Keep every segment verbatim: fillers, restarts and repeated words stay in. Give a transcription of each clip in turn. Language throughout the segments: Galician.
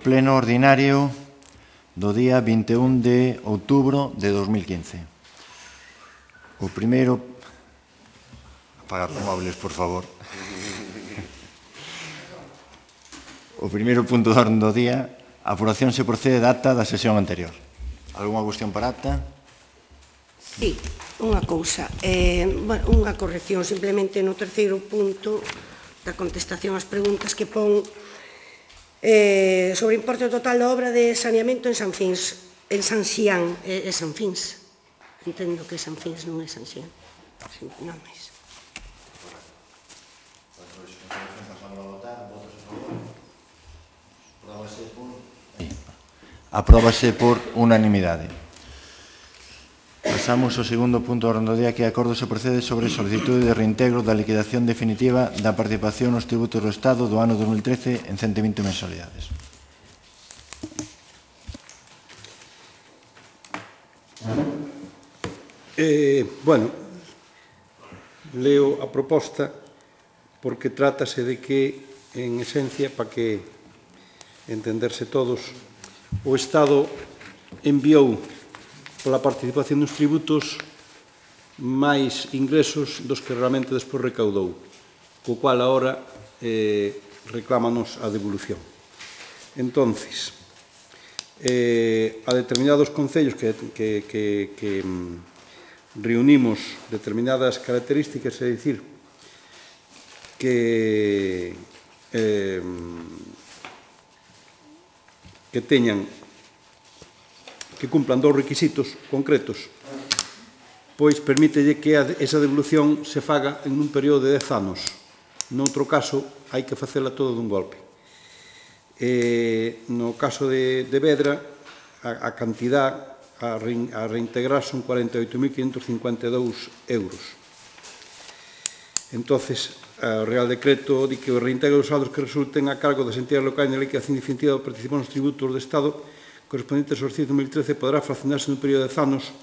pleno ordinario do día vinte e un de outubro de dos mil quince. O primeiro... Apagar os móviles, por favor. O primeiro punto de orden do día, a aprobación se procede da acta da sesión anterior. Alguna cuestión para acta? Sí, unha cousa, eh, bueno, unha corrección simplemente no terceiro punto da contestación ás preguntas que pon eh, sobre o importe total da obra de saneamento en San Fins, en San Xián, é eh, San Fins. Entendo que San Fins non é San Xián, sí, non máis. Apróbase por unanimidade. Pasamos ao segundo punto do orden do día, que é acordo se procede sobre solicitude de reintegro da liquidación definitiva da participación nos tributos do Estado do ano dos mil trece en ciento vinte mensualidades. Eh, bueno, leo a proposta porque trátase de que, en esencia, para que entenderse todos, o Estado enviou pola participación nos tributos máis ingresos dos que realmente despois recaudou, co cual agora eh, reclámanos a devolución. Entonces, eh, a determinados concellos que, que, que, que reunimos determinadas características, é dicir, que eh, que teñan que cumplan dous requisitos concretos, pois permítelle que esa devolución se faga en un período de dez anos. Noutro caso, hai que facela todo dun golpe. Eh, no caso de, de Vedra, a, a cantidad a, rein, a reintegrar son cuarenta e oito mil quinhentos cincuenta e dous euros. Entonces, o Real Decreto di que o reintegro dos saldos que resulten a cargo das entidades locais na liquidación definitiva da participación nos tributos do Estado correspondentes ao exercicio dos mil trece poderá fraccionarse nun período de dez anos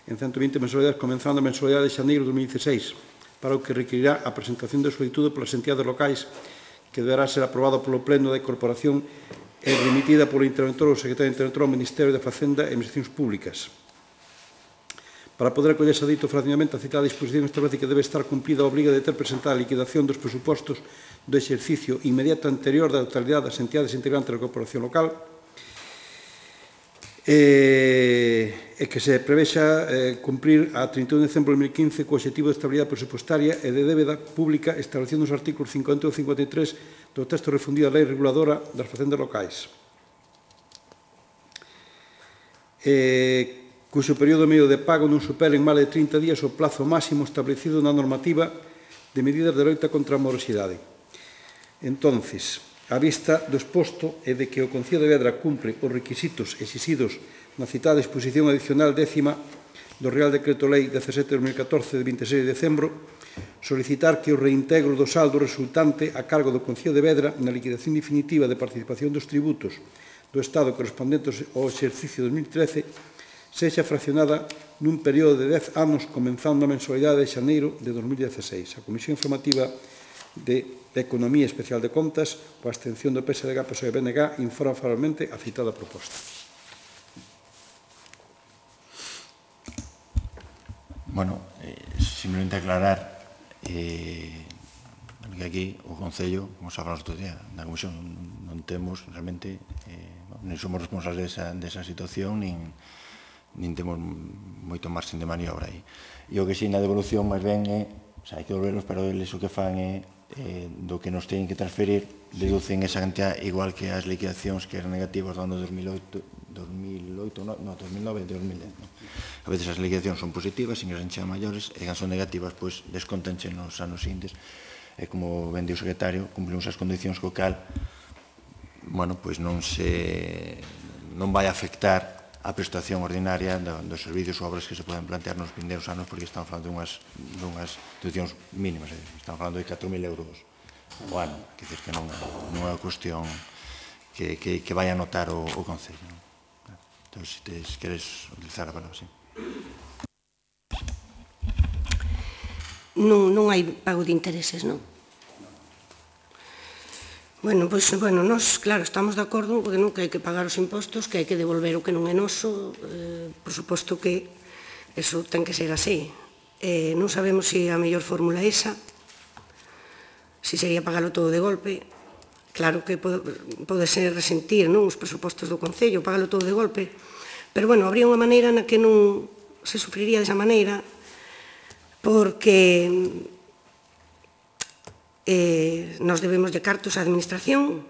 en ciento vinte mensualidades, comenzando a mensualidade de xaneiro de dos mil dieciséis, para o que requerirá a presentación de solicitude polas entidades locais, que deberá ser aprobado polo Pleno da Corporación e remitida polo interventor ou secretario interventor ao Ministerio de Facenda e Administracións Públicas. Para poder acollerse a dito fraccionamento, a citada disposición establece que debe estar cumplida a obriga de ter presentada a liquidación dos presupostos do exercicio inmediato anterior da totalidade das entidades integrantes da corporación local e, e que se prevexa eh, cumprir a trinta e un de decembro de dos mil quince co objetivo de estabilidade presupostaria e de débeda pública establecido nos artículos cincuenta e un e cincuenta e tres do texto refundido da Lei Reguladora das Facendas Locais. Eh, cuxo período medio de pago non supere en máis de trinta días o plazo máximo establecido na normativa de medidas de loita contra a morosidade. Entonces, a vista do exposto e de que o Concello de Vedra cumpre os requisitos exixidos na citada disposición adicional décima do Real Decreto Lei dezasete barra dos mil catorce de vinte e seis de decembro, solicitar que o reintegro do saldo resultante a cargo do Concello de Vedra na liquidación definitiva de participación dos tributos do Estado correspondentes ao exercicio dos mil trece sexa fraccionada nun período de dez anos comenzando a mensualidade de xaneiro de dos mil dieciséis. A Comisión Informativa de Economía Especial de Contas, coa abstención do P S D G, P S O E e B N G, informa favorablemente a citada proposta. Bueno, eh, simplemente aclarar eh, que aquí o Concello, como se falamos outro día, na Comisión non temos realmente, eh, non somos responsables desa, desa situación, nin nin temos moito marxen de maniobra aí. E o que si na devolución máis ben é, o sea, hai que devolverlos, pero eles o que fan é eh, do que nos teñen que transferir, deducen esa cantidad igual que as liquidacións que eran negativas do ano dos mil oito, dos mil oito, no, no, dos mil nove e dos mil dez. No? A veces as liquidacións son positivas, sin que sean maiores, e cando son negativas, pois, descontanche nos anos seguintes. E como ben di o secretario, cumplimos as condicións co cal, bueno, pois non se, non vai afectar a prestación ordinaria dos servicios ou obras que se poden plantear nos vindeiros anos, porque estamos falando dunhas, dunhas situacións mínimas, estamos falando de catro mil euros o ano, que dices que non, non é unha cuestión que, que, que vai a notar o, o Concello. Non? Entón, se te, queres utilizar a palabra, sí. Non, non hai pago de intereses, non? Bueno, pois, bueno, nós, claro, estamos de acordo porque non que hai que pagar os impostos, que hai que devolver o que non é noso, eh, por suposto que eso ten que ser así. Eh, non sabemos se a mellor fórmula é esa, se sería pagalo todo de golpe. Claro que pode, pode ser resentir, non, os presupostos do Concello, pagalo todo de golpe, pero, bueno, habría unha maneira na que non se sufriría desa maneira, porque eh, nos debemos de cartos á administración,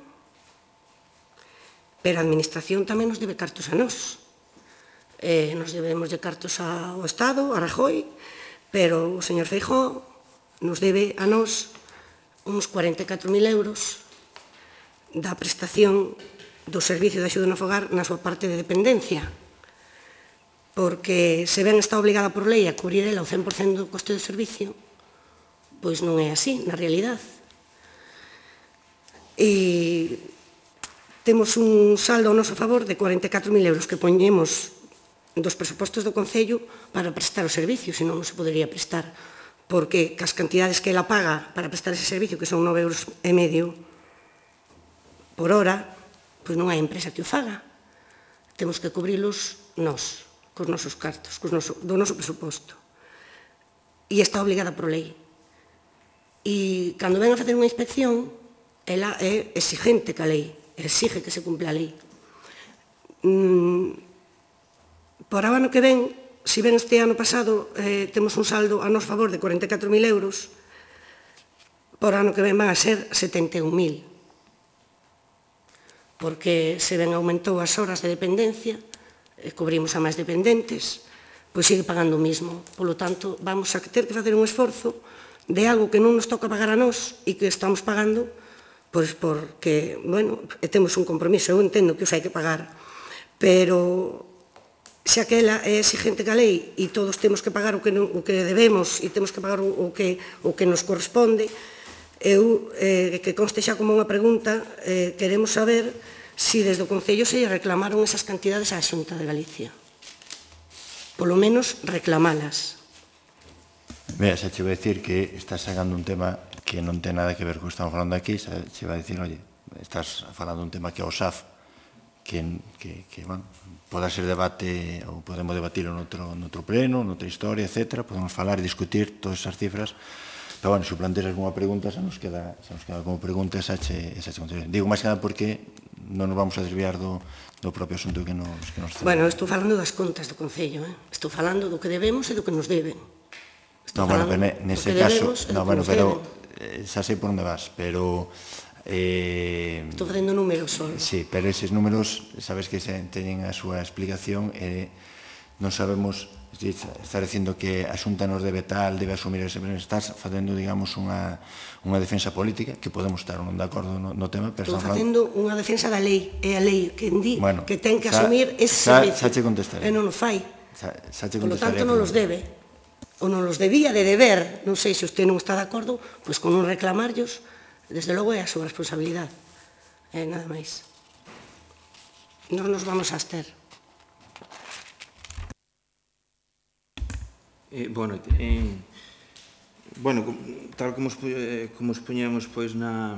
pero a administración tamén nos debe cartos a nós. Eh, nos debemos de cartos ao Estado, a Rajoy, pero o señor Feijóo nos debe a nós uns cuarenta e catro mil euros da prestación do servicio de axuda no fogar na súa parte de dependencia, porque se ben está obligada por lei a cubrir ela o cen por cento do coste do servicio, pois non é así, na realidade. E temos un saldo ao noso favor de cuarenta e catro mil euros que poñemos dos presupostos do Concello para prestar o servicio, senón non se podería prestar, porque cas cantidades que ela paga para prestar ese servicio, que son nove euros e medio por hora, pois non hai empresa que o faga. Temos que cubrilos nós, cos nosos cartos, cos noso, do noso presuposto. E está obligada por lei. E cando ven a facer unha inspección, ela é exigente ca lei, exige que se cumpla a lei. Mm, por o ano que ven, se ven este ano pasado, eh, temos un saldo a noso favor de cuarenta e catro mil euros, por ano que ven van a ser setenta e un mil. Porque se ven aumentou as horas de dependencia, eh, cubrimos a máis dependentes, pois sigue pagando o mismo. Polo tanto, vamos a ter que facer un esforzo de algo que non nos toca pagar a nós e que estamos pagando, pois porque, bueno, temos un compromiso, eu entendo que os hai que pagar, pero se aquela é exigente ca lei e todos temos que pagar o que, non, o que debemos e temos que pagar o, o, que, o que nos corresponde, eu, eh, que conste xa como unha pregunta, eh, queremos saber se desde o Concello se reclamaron esas cantidades á Xunta de Galicia. Polo menos reclamalas. Mira, xa che vou dicir que estás sacando un tema que non ten nada que ver co que estamos falando aquí, xa che vai dicir, oye, estás falando un tema que é o S A F, que, que, que bueno, poda ser debate, ou podemos debatirlo noutro, noutro pleno, noutra historia, etcétera, podemos falar e discutir todas esas cifras, pero, bueno, se planteas alguna pregunta, xa nos queda, xa nos queda como pregunta, esa che, esa che contestaré. Digo máis que nada porque non nos vamos a desviar do, do propio asunto que nos, que nos Bueno, estou falando das contas do Concello, eh? Estou falando do que debemos e do que nos deben. No, bueno, pero nese caso, no, bueno, pero xa sei por onde vas, pero eh, estou facendo números só. Sí, pero eses números, sabes que se teñen a súa explicación e non sabemos, estás dicindo que a Xunta nos debe tal, debe asumir ese, estás facendo, digamos, unha unha defensa política, que podemos estar non de acordo no, no tema, pero estou facendo unha defensa da lei, é a lei que di bueno, que ten que xa, asumir ese xa, servicio. Xa che contestaré. E non o fai. Xa, xa che Por lo contestaré. tanto, non los debe. Ou non los debía de deber. Non sei se usted non está de acordo, pois con non reclamarlos, desde logo é a súa responsabilidade. É nada máis. Non nos vamos a abster. Eh, bueno, eh, bueno, tal como, eh, como expoñemos pois na,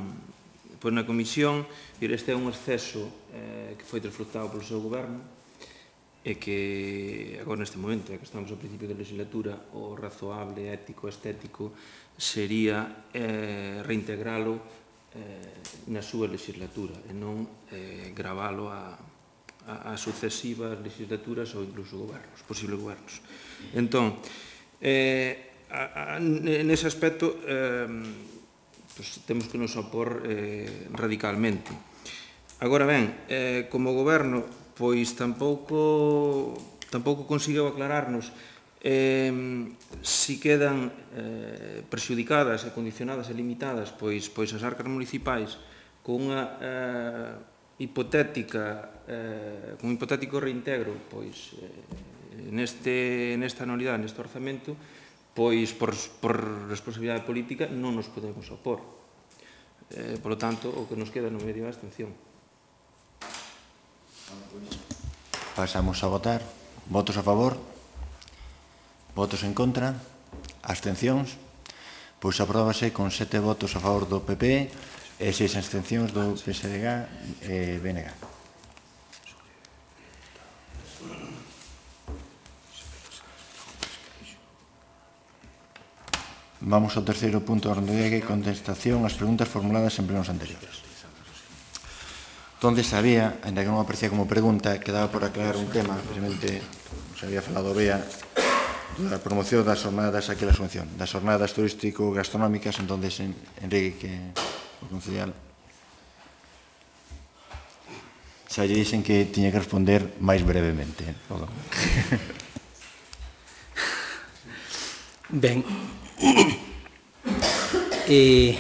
pois na comisión, este é un exceso eh, que foi desfrutado polo seu goberno e que agora neste momento, que estamos ao principio da legislatura, o razoable, ético, estético sería eh, reintegralo eh, na súa legislatura e non eh, gravalo a, a, a sucesivas legislaturas ou incluso gobernos, posibles gobernos. Entón, eh, a, a, nese aspecto eh, pues, temos que nos opor eh, radicalmente. Agora ben, eh, como goberno, pois tampouco tampouco conseguiu aclararnos eh, si quedan eh, prexudicadas e condicionadas e limitadas pois, pois as arcas municipais con unha eh, hipotética eh, con un hipotético reintegro pois eh, neste, nesta anualidade, neste orzamento, pois por, por responsabilidade política non nos podemos opor. Eh, por lo tanto, o que nos queda no medio é a abstención. Pasamos a votar. Votos a favor? Votos en contra? Abstencións? Pois apróbase con sete votos a favor do P P, e seis abstencións do P S D G e B N G. Vamos ao terceiro punto do orden do día, que é contestación ás preguntas formuladas en plenos anteriores. Donde sabía, ainda que non aparecía como pregunta, quedaba por aclarar un tema, precisamente, se había falado Bea, da promoción das jornadas aquí a la subvención, das jornadas turístico-gastronómicas, entonces Enrique, que o concejal, xa lle dixen que tiña que responder máis brevemente. Ben, eh,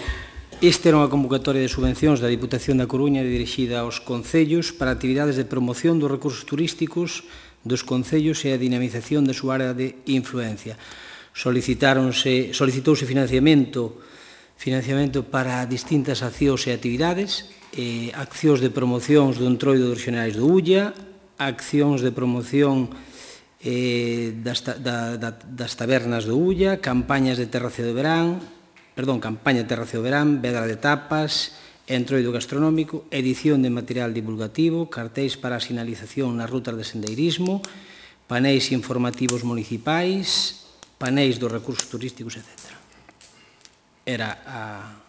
esta era unha convocatoria de subvencións da Diputación da Coruña dirixida aos concellos para actividades de promoción dos recursos turísticos dos concellos e a dinamización da súa área de influencia. Solicitáronse, solicitouse financiamento, financiamento para distintas accións e actividades, eh, accións de promocións do entroido dos xerais do Ulla, accións de promoción eh, das, da, da, das tabernas do Ulla, campañas de terracio de verán, perdón, campaña de terracio de verán, vedra de tapas, entroido gastronómico, edición de material divulgativo, cartéis para a sinalización nas rutas de sendeirismo, panéis informativos municipais, panéis dos recursos turísticos, etcétera. Era a,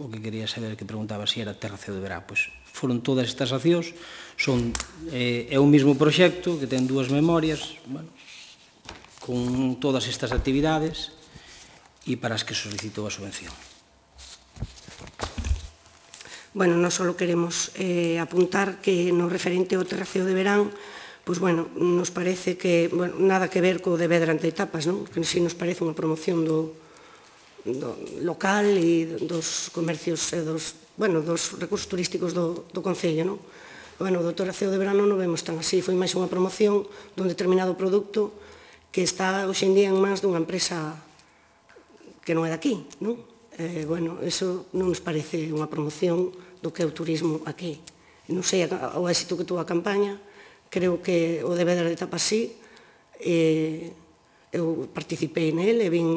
o que quería saber, que preguntaba se era terracio de verán. Pois foron todas estas accións, son, eh, é un mismo proxecto que ten dúas memorias, bueno, con todas estas actividades e para as que solicitou a subvención. Bueno, non só queremos eh, apuntar que no referente ao terraceo de verán, pois, bueno, nos parece que, bueno, nada que ver co de Vedra entre tapas, non? Que si nos parece unha promoción do, do local e dos comercios e dos, bueno, dos recursos turísticos do, do Concello, non? Bueno, do terraceo de verán non o vemos tan así, foi máis unha promoción dun determinado produto que está hoxe en día en mans dunha empresa que non é daqui, non? Eh, bueno, eso non nos parece unha promoción do que é o turismo aquí. Non sei o éxito que tuvo a campaña, creo que o de Vedra de Tapas sí, eh, eu participei nele, e vin,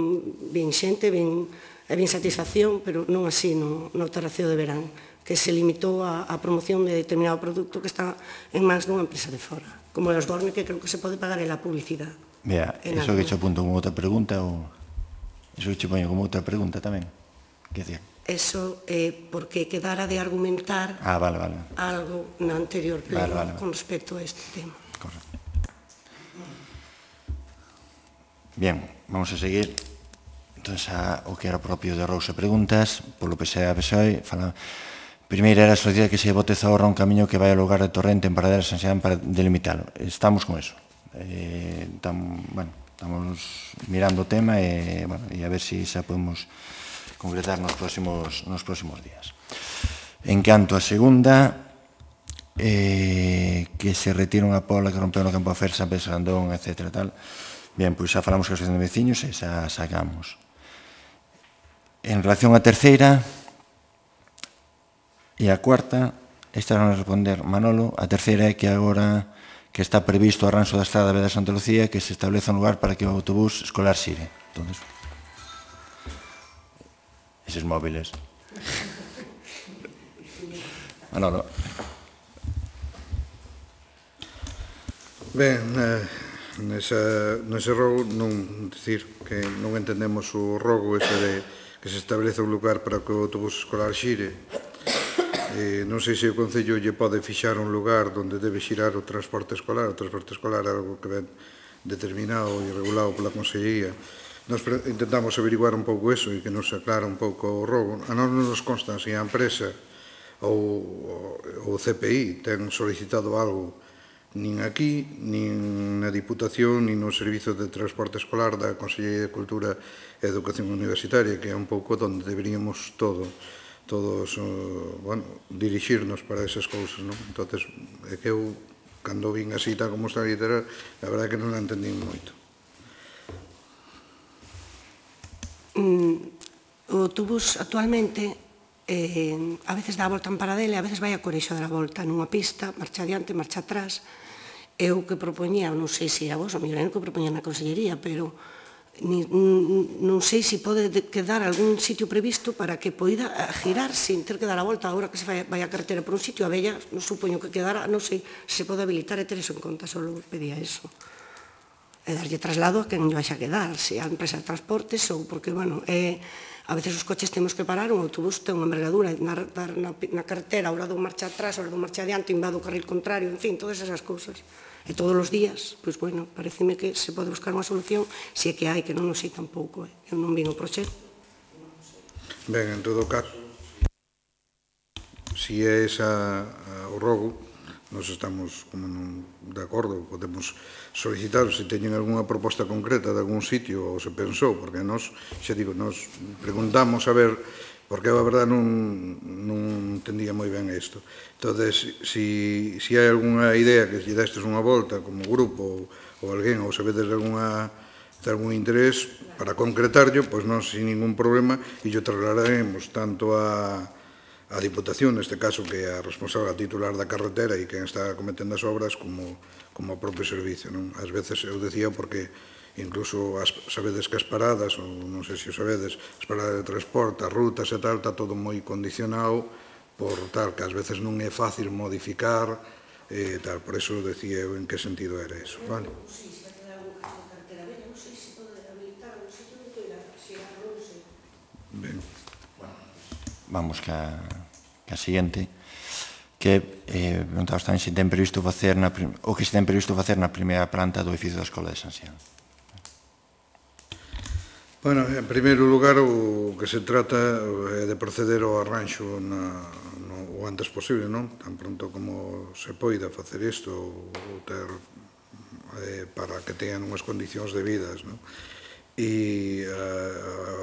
vin xente, vin, e vin satisfacción, pero non así no, no terraceo de verán, que se limitou a, a promoción de determinado produto que está en mans dunha empresa de fora, como os Borne, que creo que se pode pagar en la publicidade. Vea, iso que che apunto como outra pregunta, ou iso que che poño como outra pregunta tamén? Que decía? Eso é eh, porque quedara de argumentar ah, vale, vale. algo na anterior pleno vale, vale, vale. con respecto a este tema. Correcto. Bien, vamos a seguir entonces a o que era propio de Rouse Preguntas, polo P S E A P S O E. Fala... Primeira era a solicitar que se bote ahorra un camiño que vai ao lugar de Torrente en Paradela San Xeán para delimitalo. Estamos con eso. Eh, tam, bueno, estamos mirando o tema e, bueno, e a ver se si xa podemos concretar nos próximos, nos próximos días. En canto a segunda, eh, que se retira unha pola que rompeu no campo a Fer, San Pedro Sandón, etcétera, tal. Bien, pois xa falamos que a asociación de veciños e xa sacamos. En relación á terceira e a cuarta, esta van a responder Manolo. A terceira é que agora que está previsto o arranxo da estrada de Santa Lucía, que se estableza un lugar para que o autobús escolar xire. Entón, eses móviles. Manolo. Ben, eh, nesa, nese rogo non decir que non entendemos o rogo ese de que se establece un lugar para que o autobús escolar xire. Eh, non sei se o Concello lle pode fixar un lugar onde debe xirar o transporte escolar. O transporte escolar é algo que ven determinado e regulado pola Consellería. Nos intentamos averiguar un pouco eso e que nos aclara un pouco o robo. A nós non nos consta se a empresa ou o C P I ten solicitado algo nin aquí, nin na Diputación, nin no Servizo de Transporte Escolar da Consellería de Cultura e Educación Universitaria, que é un pouco onde deberíamos todo, todos, bueno, dirixirnos para esas cousas, non? Entón, é que eu, cando vin así tal como está a literal, a verdade é que non a entendín moito. O autobús actualmente eh, a veces dá a volta en Paradela e a veces vai a Coreixo dar a volta nunha pista, marcha adiante, marcha atrás. Eu que propoñía, non sei se a vos, o mellor que propoñía na Consellería, pero Ni, non sei se pode quedar algún sitio previsto para que poida girar sin ter que dar a volta. Agora que se vai, vai a carretera por un sitio, a bella, non supoño que quedará, non sei se pode habilitar e ter eso en conta, só pedía eso. E darlle traslado a quen vai a quedar, se a empresa de transportes ou porque, bueno, é, a veces os coches temos que parar, un autobús ten unha envergadura na, na, na carretera, a hora dun marcha atrás, a hora dun marcha adiante, invado o carril contrario, en fin, todas esas cousas. E todos os días, pois, bueno, pareceme que se pode buscar unha solución, se é que hai, que non o sei tampouco, eh? Eu non vin o proxecto. Ben, en todo caso, si é esa o rogo, nos estamos como non de acordo, podemos solicitar se teñen algunha proposta concreta de algún sitio ou se pensou, porque nos, xa digo, nos preguntamos a ver, porque a verdade non, non entendía moi ben isto. Entonces, si, si hai algunha idea que lle destes unha volta como grupo ou, ou alguén, ou sabedes de alguna de algún interés para concretarlo, pois non sin ningún problema e yo trasladaremos tanto a a Diputación, neste caso, que é a responsable a titular da carretera e quen está cometendo as obras como, como o propio servicio. Non? Ás veces eu decía porque incluso as, sabedes que as paradas, ou non sei se o sabedes, as paradas de transporte, as rutas e tal, está todo moi condicionado por tal, que ás veces non é fácil modificar e tal, por eso decía eu en que sentido era eso, vale? Ben. Vamos ca, ca seguinte, que eh, preguntabas tamén se ten previsto facer na, o que se ten previsto facer na primeira planta do edificio da Escola de San Xián. Bueno, en primeiro lugar, o que se trata é de proceder ao arranxo na, no, o antes posible, non? Tan pronto como se poida facer isto ou ter eh, para que teñan unhas condicións debidas, non? E a,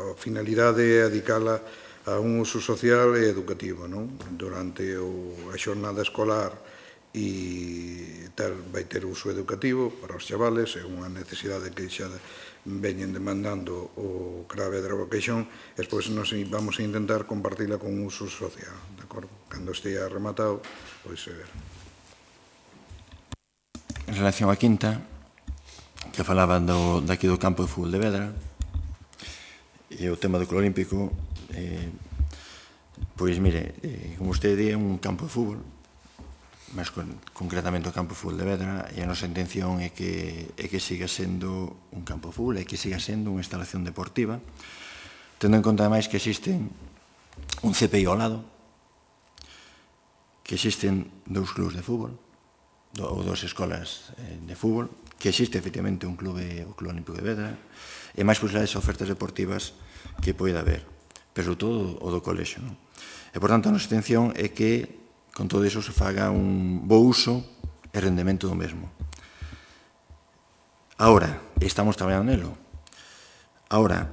a finalidade é adicala a un uso social e educativo, non? Durante o, a xornada escolar e tal, vai ter uso educativo para os chavales, é unha necesidade que xa veñen demandando o CRAVE de Revoqueixón, e despois nos vamos a intentar compartila con un uso social, de acordo? Cando estea rematado, pois se ver. En relación á quinta, que falaban do, daqui do campo de fútbol de Vedra, e o tema do Club Olímpico, eh, pois mire, eh, como usted di, é un campo de fútbol, mas con, concretamente o campo de fútbol de Vedra, e a nosa intención é que, é que siga sendo un campo de fútbol, é que siga sendo unha instalación deportiva, tendo en conta ademais que existen un C P I ao lado, que existen dous clubs de fútbol, do, ou dous escolas eh, de fútbol, que existe efectivamente un clube, o Club Olímpico de Vedra, e máis posibilidades de ofertas deportivas que poida haber, pero sobre todo o do colexio. Non? E, por tanto, a nosa intención é que, con todo iso, se faga un bo uso e rendemento do mesmo. Ahora, estamos traballando nelo. Ahora,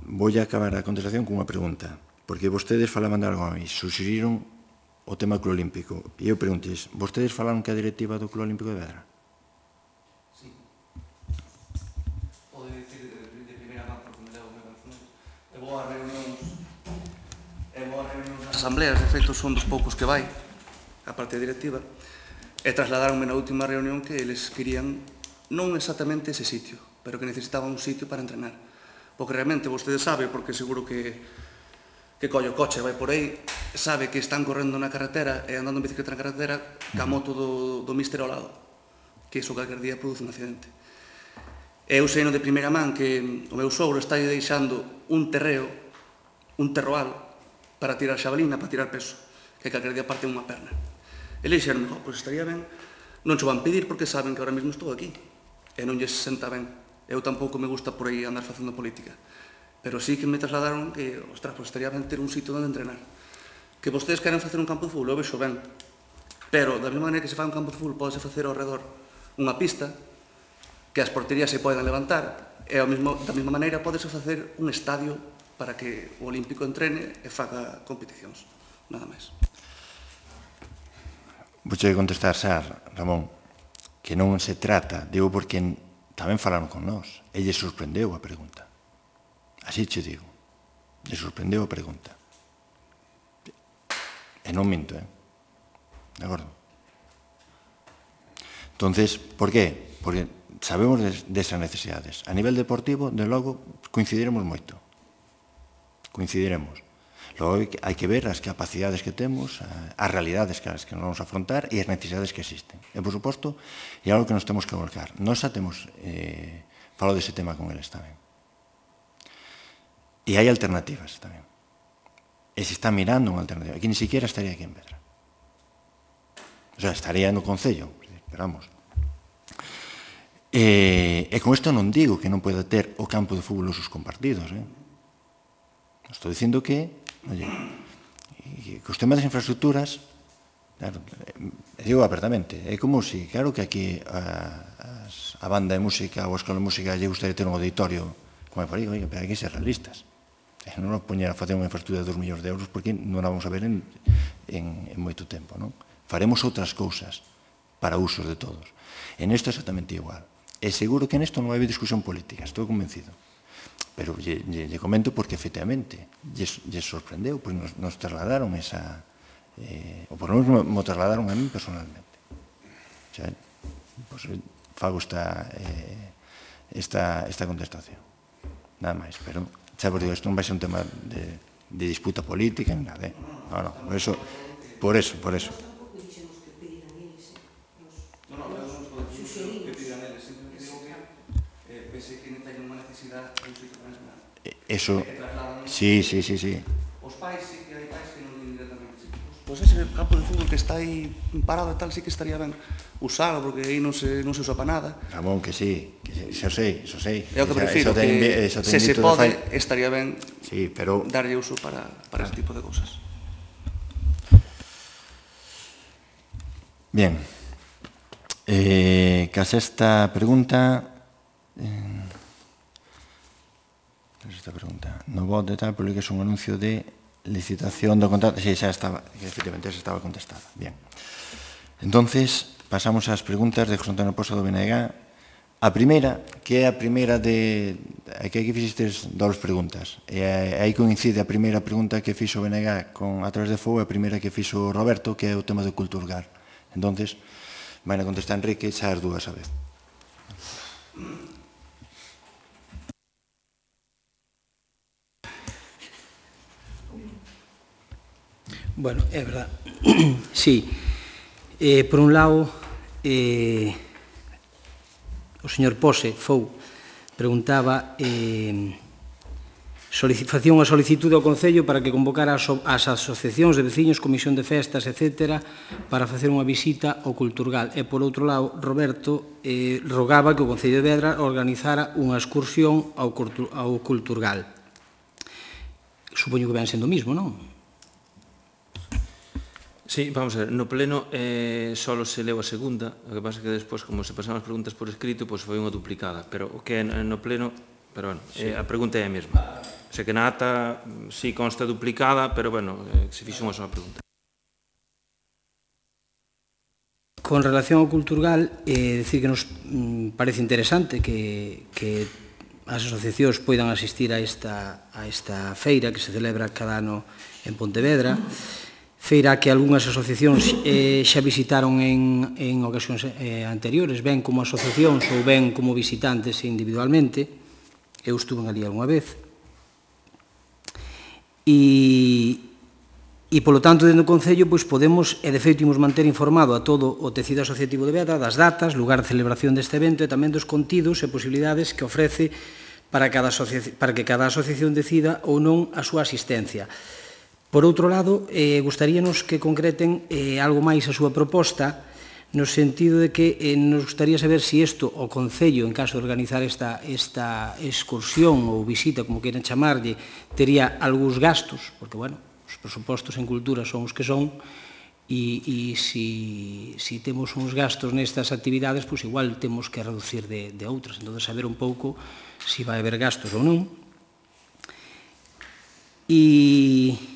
vou a acabar a contestación con unha pregunta, porque vostedes falaban de algo a mí, suxeriron o tema do Club Olímpico, e eu preguntes, vostedes falaron que a directiva do Club Olímpico de Vedra? Boas reunións e boas reunións nas asambleas, de feito son dos poucos que vai a parte directiva, e trasladaronme na última reunión que eles querían non exactamente ese sitio, pero que necesitaban un sitio para entrenar, porque realmente vostede sabe, porque seguro que que colle o coche vai por aí, sabe que están correndo na carretera e andando en bicicleta na carretera ca moto do, do míster ao lado, que iso calquer día produce un accidente. E eu sei no de primeira man que o meu sogro está deixando un terreo, un terroal, para tirar xabalina, para tirar peso, que calquer día parte unha perna. E le dixeron, oh, pois estaría ben, non cho van pedir porque saben que ahora mesmo estou aquí, e non lles senta ben. Eu tampouco me gusta por aí andar facendo política, pero sí que me trasladaron que, ostras, pois estaría ben ter un sitio onde entrenar. Que vostedes queren facer un campo de fútbol, eu vexo ben, pero da mesma maneira que se fai un campo de fútbol, podese facer ao redor unha pista, que as porterías se poden levantar, e ao mesmo, da mesma maneira podese facer un estadio para que o Olímpico entrene e faga competicións, nada máis. Vou che contestar, Sar, Ramón, que non se trata, digo porque tamén falaron con nós, e lle sorprendeu a pregunta. Así che digo, lle sorprendeu a pregunta. E non minto, eh? De acordo? Entonces, por qué? Porque sabemos desas necesidades. A nivel deportivo, de logo, coincidiremos moito. Coincidiremos. Logo hai que ver as capacidades que temos, as realidades que as que nos vamos a afrontar e as necesidades que existen. E, por suposto, é algo que nos temos que volcar. Nos xa temos eh, falado dese tema con eles tamén. E hai alternativas tamén. E se está mirando unha alternativa. Aquí ni siquiera estaría aquí en Vedra. O sea, estaría no Concello. Pero vamos. E, e con isto non digo que non poida ter o campo de fútbol os compartidos. Eh? Estou dicindo que, oye, que os temas das infraestructuras, claro, digo apertamente, é como si, claro que aquí a, a banda de música ou a escola de música lle gustaría ter un auditorio como é por aí, oye, pero hai que ser realistas. Non nos poñer a facer unha infraestructura de dos millóns de euros porque non a vamos a ver en, en, en moito tempo. Non? Faremos outras cousas para usos de todos. En isto é exactamente igual. E seguro que nesto non vai haber discusión política, estou convencido. Pero lle, lle, lle comento porque, efectivamente, lle, lle sorprendeu, pois nos, nos trasladaron esa... Eh, ou por lo menos me trasladaron a mí personalmente. O sea, pois, fago esta, eh, esta, esta contestación. Nada máis, pero, xa vos digo, isto non vai ser un tema de, de disputa política, ni nada, eh? No, no, por eso, por eso, por eso. Eso, sí, sí, sí, sí. Os pais sí que hai pais que non din directamente. Pois ese campo de fútbol que está aí parado e tal, sí que estaría ben usado, porque aí non se, non se usa para nada. Ramón, que sí, que eso sei, eso sei. É o que prefiro, que se se pode, estaría ben sí, pero... darlle uso para, para ese tipo de cousas. Bien. Eh, cas esta pregunta... Eh, esta pregunta. No voto de tal, publica un anuncio de licitación do contrato. Sí, xa estaba, efectivamente, xa estaba contestada. Bien. Entonces, pasamos ás preguntas de José Antonio Pozo do B N G. A primeira, que é a primeira de... Aquí aquí fixistes dous preguntas. E aí coincide a primeira pregunta que fixo o B N G con A través de Fogo e a primeira que fixo o Roberto, que é o tema do Culturgal. Entonces, vai a contestar Enrique xa as dúas a vez. Bueno, é verdad. Sí. Eh, por un lado, eh, o señor Pose, Fou, preguntaba eh, facía unha solicitude ao Concello para que convocara as, as asociacións de veciños, comisión de festas, etcétera, para facer unha visita ao Culturgal. E, por outro lado, Roberto eh, rogaba que o Concello de Vedra organizara unha excursión ao, ao Culturgal. Supoño que ven sendo o mismo, non? Sí, vamos a ver, no pleno eh, solo se leu a segunda, o que pasa é que despois, como se pasaron as preguntas por escrito, pois foi unha duplicada, pero o que é no pleno, pero bueno, sí. eh, a pregunta é a mesma. O sea que na ata sí consta duplicada, pero bueno, eh, se fixo unha sola pregunta. Con relación ao Culturgal, eh, decir que nos mm, parece interesante que, que as asociacións poidan asistir a esta, a esta feira que se celebra cada ano en Pontevedra, feira que algunhas asociacións eh, xa visitaron en, en ocasións eh, anteriores, ben como asociacións ou ben como visitantes individualmente. Eu estuve ali algunha vez. E, e polo tanto, dentro do Concello, pois, podemos, e de feito, imos manter informado a todo o tecido asociativo de Vedra das datas, lugar de celebración deste evento e tamén dos contidos e posibilidades que ofrece para, cada para que cada asociación decida ou non a súa asistencia. Por outro lado, eh, gustaríanos que concreten eh, algo máis a súa proposta, no sentido de que eh, nos gustaría saber se isto, o Concello, en caso de organizar esta, esta excursión ou visita, como queiran chamarlle, tería algúns gastos, porque, bueno, os presupostos en cultura son os que son, e, e si, si temos uns gastos nestas actividades, pois igual temos que reducir de, de outras, entón saber un pouco se vai haber gastos ou non. E...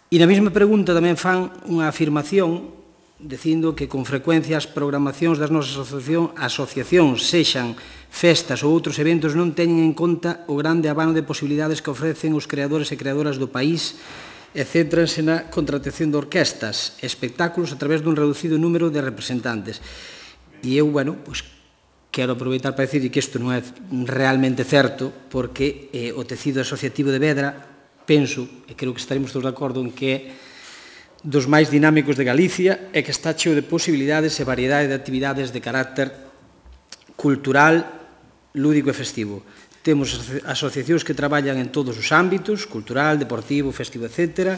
E na mesma pregunta tamén fan unha afirmación dicindo que con frecuencia as programacións das nosas asociacións, sexan festas ou outros eventos, non teñen en conta o grande abano de posibilidades que ofrecen os creadores e creadoras do país e céntranse na contratación de orquestas, espectáculos a través dun reducido número de representantes. E eu, bueno, pois, quero aproveitar para dicir que isto non é realmente certo, porque eh, o tecido asociativo de Vedra, penso, e creo que estaremos todos de acordo en que é dos máis dinámicos de Galicia e que está cheo de posibilidades e variedade de actividades de carácter cultural, lúdico e festivo. Temos asociacións que traballan en todos os ámbitos, cultural, deportivo, festivo, etcétera,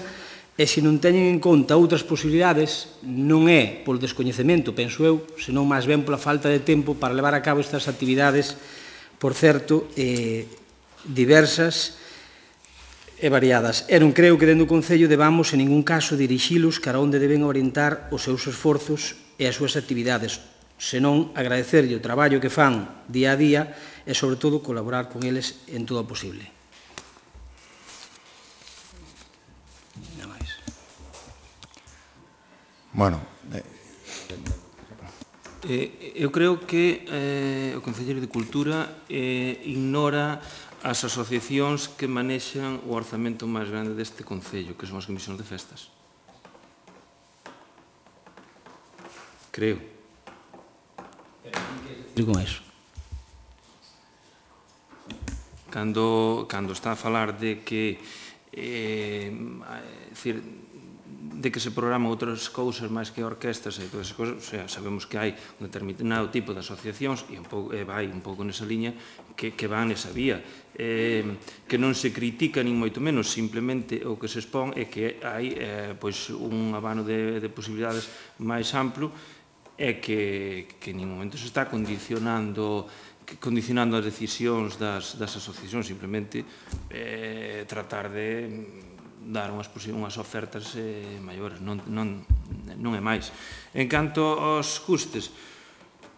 e se non teñen en conta outras posibilidades, non é polo descoñecemento, penso eu, senón máis ben pola falta de tempo para levar a cabo estas actividades, por certo, eh, diversas e variadas. E non creo que dentro do Concello debamos en ningún caso dirixilos cara onde deben orientar os seus esforzos e as súas actividades, senón agradecerlle o traballo que fan día a día e, sobre todo, colaborar con eles en todo o posible. Nada máis. Bueno, Eh, eu creo que eh, o Concelleiro de Cultura eh, ignora as asociacións que manexan o orzamento máis grande deste Concello, que son as comisións de festas. Creo. E con eso? Cando, cando está a falar de que eh, decir, de que se programan outras cousas máis que orquestas e todas esas cousas, o sea, sabemos que hai un determinado tipo de asociacións e, un pouco, e vai un pouco nesa liña que, que van nesa vía, eh, que non se critica nin moito menos, simplemente o que se expón é que hai eh, pois un abano de, de posibilidades máis amplo e que, que en ningún momento se está condicionando condicionando as decisións das, das asociacións, simplemente eh, tratar de dar unhas, unhas ofertas eh, maiores, non, non, non é máis. En canto aos custes,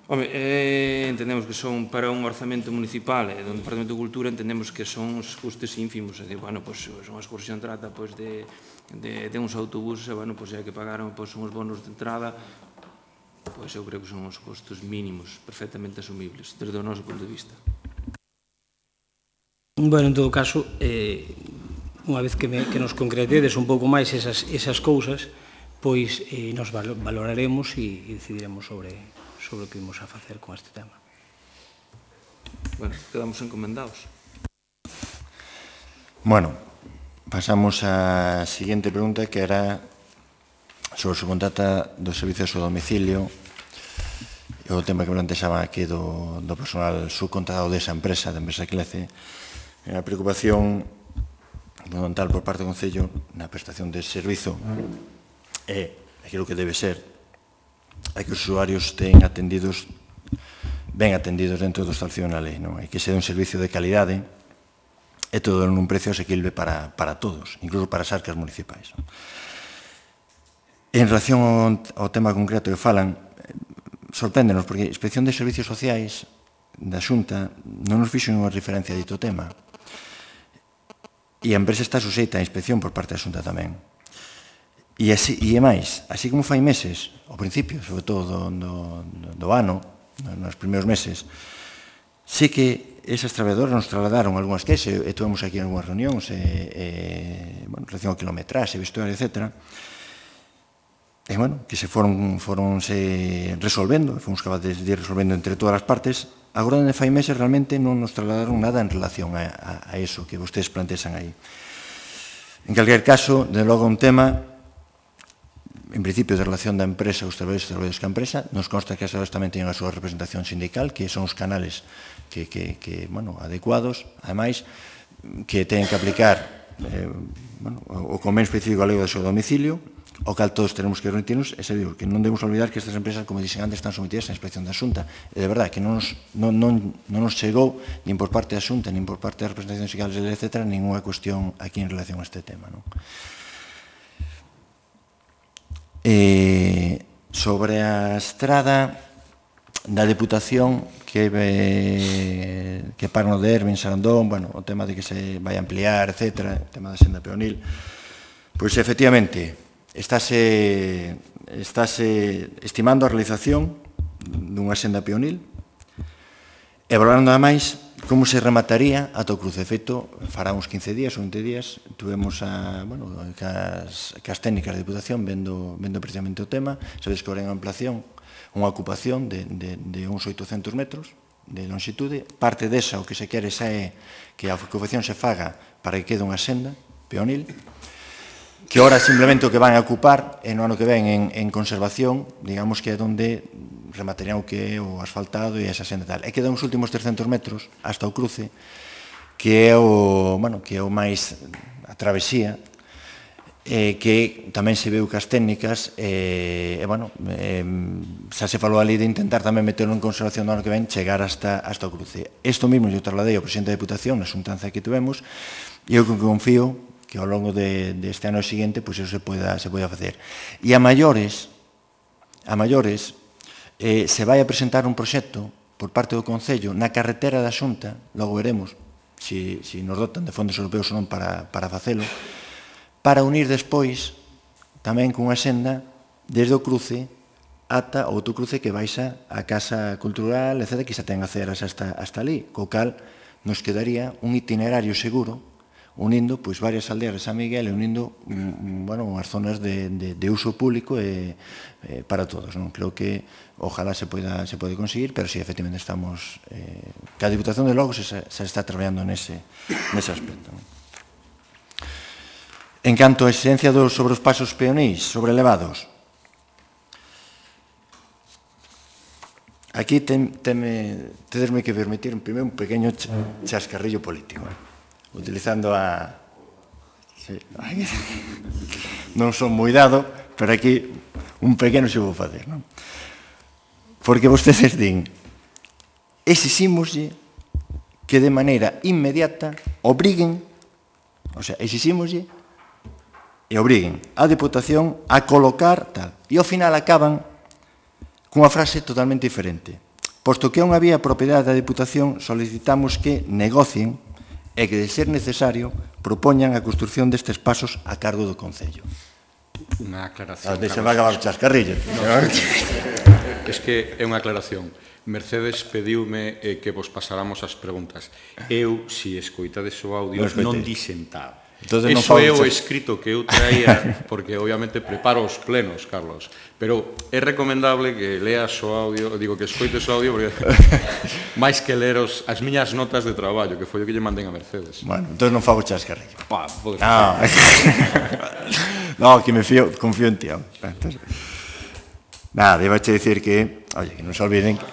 home, eh, entendemos que son para un orzamento municipal e do Departamento de Cultura entendemos que son os custes ínfimos, é dicir, bueno, pois, unha excursión trata pois, de, de, de uns autobuses e, bueno, pois, hai que pagar pois, uns bonos de entrada, pois eu creo que son os custos mínimos perfectamente asumibles desde o noso punto de vista. Bueno, en todo caso, eh, unha vez que, me, que nos concretedes un pouco máis esas, esas cousas, pois eh, nos valoraremos e, e decidiremos sobre, sobre o que vamos a facer con este tema. Bueno, quedamos encomendados. Bueno, pasamos á seguinte pregunta, que era sobre o subcontrata dos servicios ao domicilio, e o tema que plantexaba aquí do, do personal subcontratado desa empresa, da empresa Clece, a preocupación fundamental por parte do Concello na prestación de servizo é aquilo que debe ser é que os usuarios estén atendidos ben atendidos dentro do establecido na lei, non? E que sea un servicio de calidade e todo nun precio asequible para, para todos, incluso para as arcas municipais. En relación ao, ao tema concreto que falan, sorpréndenos, porque a Inspección de Servicios Sociais da Xunta non nos fixo unha referencia a dito tema. E a empresa está suxeita á inspección por parte da Xunta tamén. E, así, e é máis, así como fai meses, ao principio, sobre todo do, do, do ano, nos primeiros meses, sí que esas traballadoras nos trasladaron algunhas queixas, e tuvemos aquí algunhas reunións, e, e, bueno, en relación ao kilometraxe, vestuario, etcétera, e, bueno, que se foron, foron se resolvendo, fomos capaces de ir resolvendo entre todas as partes. Agora, onde fai meses, realmente non nos trasladaron nada en relación a, a, a eso que vostedes plantexan aí. En calquer caso, de logo un tema, en principio, de relación da empresa aos traballadores e traballadores que a empresa, nos consta que as traballadores tamén teñen a súa representación sindical, que son os canales que, que, que bueno, adecuados, ademais, que teñen que aplicar eh, bueno, o convenio específico galego do seu domicilio, ao cal todos tenemos que remitirnos, e se digo que non debemos olvidar que estas empresas, como dixen antes, están sometidas á inspección da Xunta. E de verdade que non nos, non, non, non nos chegou, nin por parte da Xunta, nin por parte das representacións sindicales, etcétera, ninguna cuestión aquí en relación a este tema. Non? E sobre a estrada da Deputación que, eh, que para no de Ervin, Sarandón, bueno, o tema de que se vai ampliar, etcétera, o tema da senda peonil, pois efectivamente, estáse, estáse estimando a realización dunha senda peonil e valorando ademais como se remataría ata o cruce. De feito, fará uns quince días ou vinte días, tuvemos a, bueno, cas, cas técnicas de Diputación vendo, vendo precisamente o tema. Sabedes que ahora en ampliación unha ocupación de, de, de uns oitocentos metros, de longitude, parte desa o que se quere xa é que a ocupación se faga para que quede unha senda peonil, que ora simplemente o que van a ocupar e no ano que ven en, en conservación, digamos que é onde rematarían o que é o asfaltado e esa senda tal. E quedan os últimos trescentos metros hasta o cruce, que é o, bueno, que é o máis a travesía, eh, que tamén se veu que as técnicas, e, eh, eh, bueno, eh, xa se falou ali de intentar tamén meterlo en conservación do ano que ven, chegar hasta, hasta o cruce. Isto mesmo eu trasladei ao presidente da Diputación na xuntanza que tivemos, e eu confío que ao longo de, deste ano seguinte pois eso se poida, se poida facer. E a maiores, a maiores, eh, se vai a presentar un proxecto por parte do Concello na carretera da Xunta, logo veremos se si, si nos dotan de fondos europeos ou non para, para facelo, para unir despois tamén cunha senda desde o cruce ata outro cruce que baixa a Casa Cultural, etcétera, que xa ten aceras hasta, hasta ali, co cal nos quedaría un itinerario seguro unindo pois varias aldeas de San Miguel e unindo bueno, unhas zonas de, de, de uso público e, eh, para todos. Non? Creo que ojalá se poida, se pode conseguir, pero si sí, efectivamente estamos... Eh, que a Diputación de logo se, se está traballando nese, nese aspecto. Non? En canto a exigencia dos, sobre os pasos peoníes, sobre elevados, aquí ten, teme, tedesme que permitir primeiro un pequeño chascarrillo político. Eh? Utilizando a... Sí. Non son moi dado, pero aquí un pequeno se vou facer, non? Porque vostedes din, exixímoslle que de maneira inmediata obriguen, o sea, exixímoslle e obriguen a Diputación a colocar tal. E ao final acaban cunha frase totalmente diferente. Posto que é unha vía propiedade da Diputación, solicitamos que negocien e que, de ser necesario, propoñan a construción destes pasos a cargo do Concello. Unha aclaración. Deixa vai acabar o chascarrillo. Es que é unha aclaración. Mercedes pediume eh, que vos pasáramos as preguntas. Eu, si escoitades o audio, non dixen tal. Entonces, Eso é o escrito que eu traía, porque obviamente preparo os plenos, Carlos, pero é recomendable que leas o audio, digo que escoites o audio, porque máis que ler os, as miñas notas de traballo, que foi o que lle mandei a Mercedes. Bueno, entón non fago chascarrillo. Bah, podes no, no, que me fío, confío en ti. Entonces, nada, iba a dicir que, oye, que non se olviden que...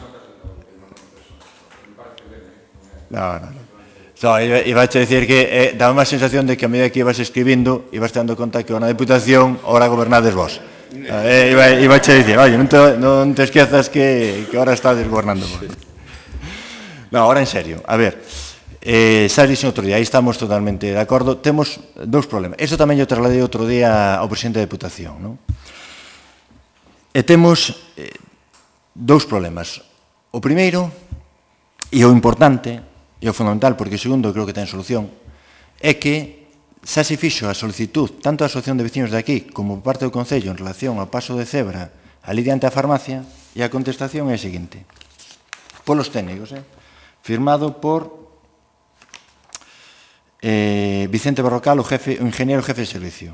No, no, no. No, iba a dicir que eh, daba unha sensación de que a medida que ibas escribindo ibas te dando conta que na Diputación ahora gobernades vos. Eh, iba, iba a dicir, oye, non te, non te esquezas que, que ahora estás gobernando vos. No, ahora en serio, a ver, eh, xa dixen outro día, aí estamos totalmente de acordo, temos dous problemas. Eso tamén yo trasladei outro día ao presidente da Diputación, non? E temos eh, dous problemas. O primeiro, e o importante, e o fundamental, porque o segundo creo que ten solución, é que xa se fixo a solicitud tanto da Asociación de Vecinos de aquí como por parte do Concello en relación ao paso de cebra ali diante a farmacia, e a contestación é a seguinte, polos técnicos, eh? Firmado por eh, Vicente Barrocal, o, jefe, o ingeniero jefe de servicio.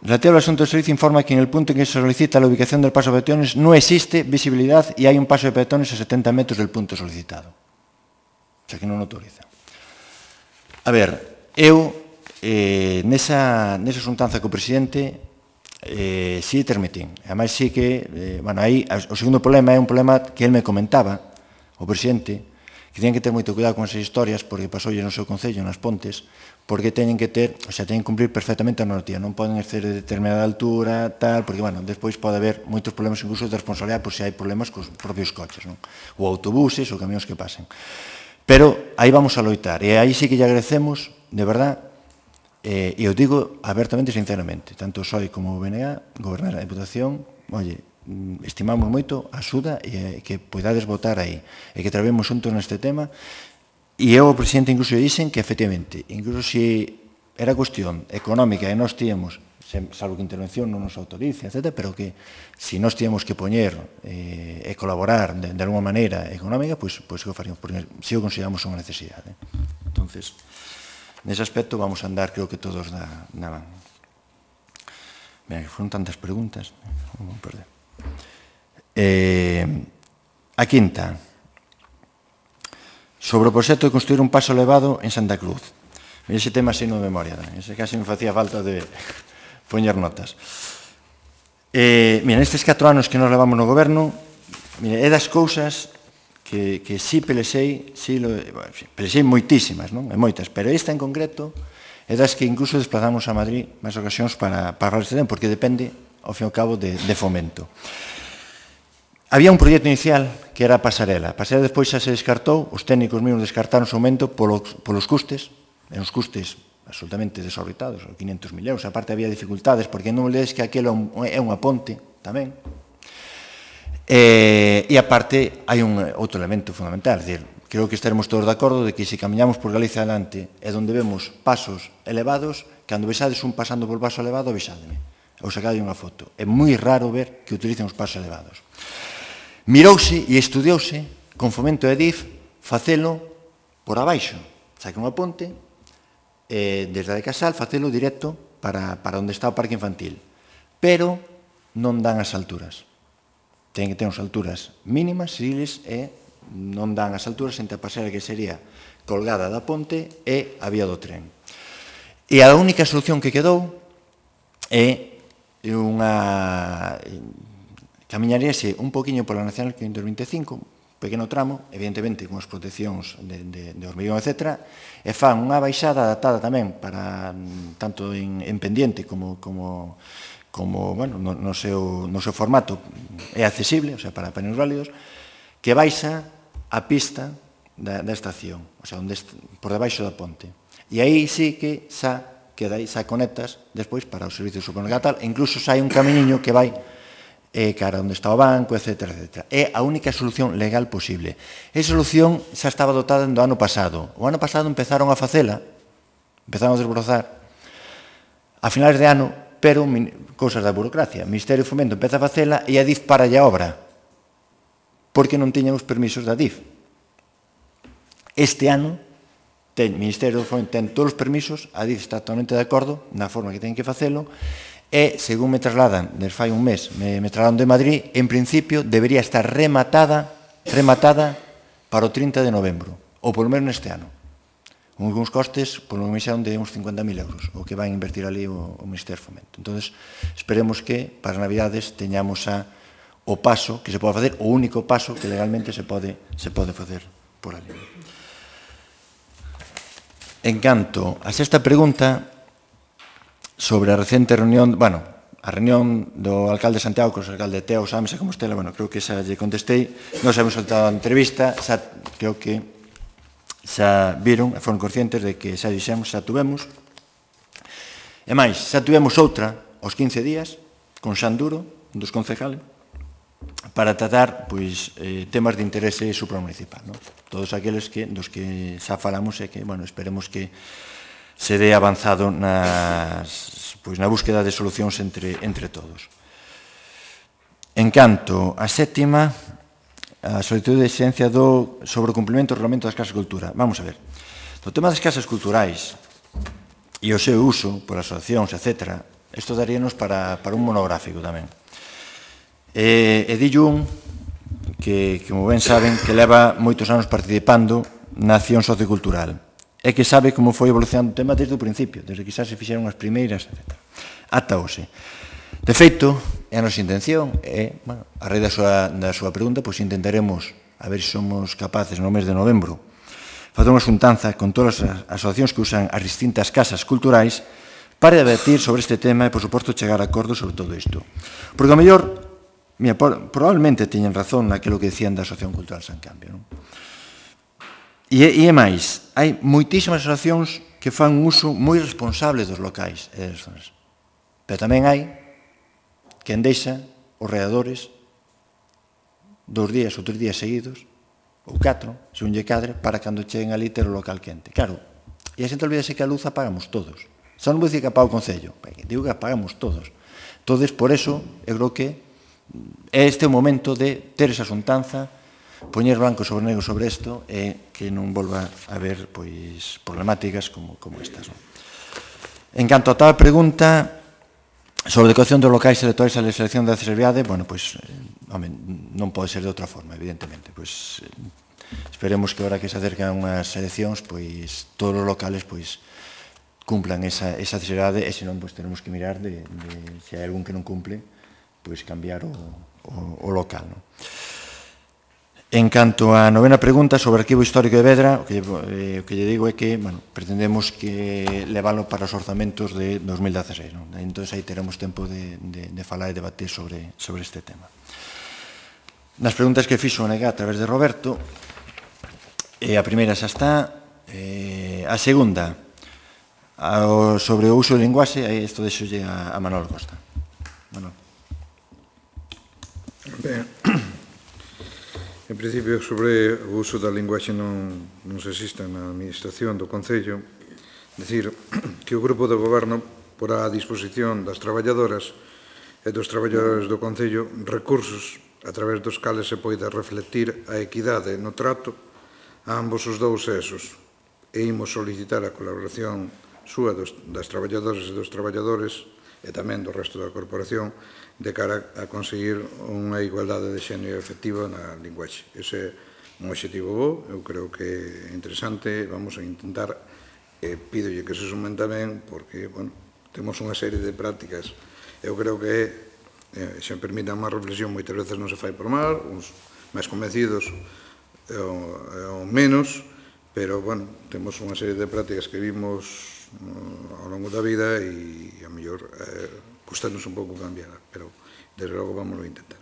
Relativo al asunto del servicio, informa que en el punto en que se solicita la ubicación del paso de peatones no existe visibilidad y hay un paso de peatones a setenta metros del punto solicitado. O sea, que non autoriza. A ver, eu, eh, nesa, nesa xuntanza co presidente, eh, sí termitín. Ademais, sí que, eh, bueno, aí, o segundo problema é un problema que ele me comentaba, o presidente, que teñen que ter moito cuidado con esas historias, porque pasoulle no seu concello, nas Pontes, porque teñen que ter, o sea, teñen que cumplir perfectamente a normativa, non poden exceder de determinada altura, tal, porque, bueno, despois pode haber moitos problemas incluso de responsabilidade por se hai problemas cos propios coches, non? Ou autobuses ou camións que pasen. Pero aí vamos a loitar, e aí sí que lle agradecemos, de verdad, eh, e eu digo abertamente e sinceramente, tanto o P S O E como o B N G, gobernar a Diputación, oye, estimamos moito a axuda e que podades votar aí, e que trabemos xuntos neste tema, e eu o presidente incluso dixen que efectivamente, incluso se era cuestión económica e nós tíamos, salvo que intervención non nos autorice, etcétera, pero que se nós tíamos que poñer eh, e colaborar de, de alguma maneira económica, pois, pois que o faríamos, porque si o consideramos unha necesidade. Entonces, nese aspecto vamos a andar, creo que todos na, na van. Mira, que foron tantas preguntas, non vou perder. Eh, a quinta, sobre o proxecto de construir un paso elevado en Santa Cruz. Ese tema así no de memoria, ese casi me facía falta de poñer notas. Eh, mira, nestes catro anos que nos levamos no goberno, mira, é das cousas que, que sí pelexei, sí, lo, bueno, sí, pelexei moitísimas, non? E moitas, pero esta en concreto é das que incluso desplazamos a Madrid máis ocasións para, para falar este tema, porque depende, ao fin e ao cabo, de, de fomento. Había un proxecto inicial que era a pasarela. A pasarela despois xa se descartou, os técnicos mesmos descartaron o aumento polos, polos custes, e os custes absolutamente desorbitados, quinhentos mil euros. Aparte había dificultades, porque non olvides que aquilo é unha ponte tamén. E, e aparte hai un outro elemento fundamental, é dicir, creo que estaremos todos de acordo de que se camiñamos por Galicia adelante e onde vemos pasos elevados, cando vexades un pasando por paso elevado, avisademe, ou sacade unha foto. É moi raro ver que utilicen os pasos elevados. Mirouse e estudiouse con fomento de D I F facelo por abaixo, saque unha ponte, eh, desde a de Casal, facelo directo para, para onde está o parque infantil. Pero non dan as alturas. Ten que ter unhas alturas mínimas, civiles, e non dan as alturas entre a pasarela que sería colgada da ponte e a vía do tren. E a única solución que quedou é unha... camiñaríase un poquinho pola Nacional quinhentos vinte e cinco, pequeno tramo, evidentemente con as proteccións de, de, de hormigón, etcétera, e fan unha baixada adaptada tamén para tanto en, en pendiente como, como, como bueno, no, no, seu, no seu formato é accesible, o sea, para paneos válidos, que baixa a pista da, da estación, o sea, onde, por debaixo da ponte. E aí sí que xa queda aí, xa conectas despois para o servicio de supermercado, e incluso xa hai un camiño que vai e cara onde está o banco, etcétera, etcétera. É a única solución legal posible. Esa solución xa estaba dotada do ano pasado. O ano pasado empezaron a facela, empezaron a desbrozar a finales de ano, pero cousas da burocracia. O Ministerio de Fomento empeza a facela e a D I F para a obra, porque non tiñan os permisos da D I F. Este ano, ten, o Ministerio de Fomento ten todos os permisos, a D I F está totalmente de acordo na forma que ten que facelo, e, según me trasladan, desde fai un mes, me, me trasladan de Madrid, en principio debería estar rematada, rematada para o trinta de novembro, ou polo menos neste ano. Con uns costes, polo menos de uns cincuenta mil euros, o que vai invertir ali o, o Ministerio de Fomento. Entón, esperemos que para as Navidades teñamos a, o paso que se pode facer, o único paso que legalmente se pode, se pode facer por ali. En canto a sexta pregunta, sobre a recente reunión, bueno, a reunión do alcalde de Santiago con o alcalde de Teo, sámese como estela, bueno, creo que xa lle contestei, nos hemos soltado a entrevista, xa, creo que xa viron, foron conscientes de que xa dixemos, xa tuvemos, e máis, xa tuvemos outra aos quince días, con Xan Duro, dos concejales, para tratar, pois, eh, temas de interese supramunicipal, non? Todos aqueles que, dos que xa falamos e que, bueno, esperemos que se dé avanzado nas, pois, na búsqueda de solucións entre, entre todos. En canto a sétima, a solicitud de exigencia do, sobre o cumprimento do Regulamento das Casas de Cultura. Vamos a ver, o tema das casas culturais e o seu uso por asociacións, etcétera, isto daríanos para, para un monográfico tamén. E, e dillo un que, como ben saben, que leva moitos anos participando na acción sociocultural, é que sabe como foi evolucionando o tema desde o principio, desde que xa se fixeron as primeiras, etcétera. Ata hoxe. De feito, é a nosa intención, é, bueno, a raíz da súa, da súa pregunta, pois intentaremos, a ver se somos capaces no mes de novembro, facer unha xuntanza con todas as asociacións que usan as distintas casas culturais para debatir sobre este tema e, por suposto, chegar a acordos sobre todo isto. Porque, ao mellor, mira, probablemente teñen razón naquilo que decían da Asociación Cultural San Cambio, non? E, e é máis, hai moitísimas asociacións que fan un uso moi responsable dos locais e das zonas. Pero tamén hai quen deixa os readores dous días ou tres días seguidos, ou catro, según lle cadre, para cando cheguen ali ter o local quente. Claro, e a xente olvídase que a luz apagamos todos. Só non vou dicir que apaga o Concello, digo que apagamos todos. Entón, por eso, eu creo que é este o momento de ter esa xuntanza, poñer blanco sobre negro sobre isto e que non volva a haber, pois, problemáticas como, como estas. Non? En canto a tal pregunta sobre a decoración dos locais electorais e a selección da accesibilidade, bueno, pois, home, non pode ser de outra forma, evidentemente. Pois, esperemos que ahora que se acercan unhas eleccións, pois todos os locales pois cumplan esa, esa necesidade, e senón pois tenemos que mirar de, de se hai algún que non cumple, pois cambiar o, o, o local, non? En canto á novena pregunta sobre o arquivo histórico de Vedra, o que, eh, o que lle digo é que, bueno, pretendemos que leválo para os orzamentos de dos mil dieciséis, non? Entón, aí teremos tempo de, de, de falar e debater sobre, sobre este tema. Nas preguntas que fixo o N G A a través de Roberto, eh, a primeira xa está, eh, a segunda, ao, sobre o uso do linguaxe, aí isto deixolle a, a Manuel Costa. Manuel. Ben, en principio, sobre o uso da linguaxe non, non se existe na administración do Concello, decir que o Grupo de Goberno porá a disposición das traballadoras e dos traballadores do Concello recursos a través dos cales se poida reflectir a equidade no trato a ambos os dous sexos, e imos solicitar a colaboración súa dos, das traballadoras e dos traballadores e tamén do resto da corporación de cara a conseguir unha igualdade de xénero efectiva na linguaxe. Ese é un objetivo bo, eu creo que é interesante, vamos a intentar, e pídolle que se sumen tamén, porque, bueno, temos unha serie de prácticas, eu creo que, eh, se me permite má reflexión, moitas veces non se fai por mal, uns máis convencidos ou menos, pero, bueno, temos unha serie de prácticas que vimos ao longo da vida e a mellor eh, custanos un pouco cambiar, pero desde logo vamos a intentar.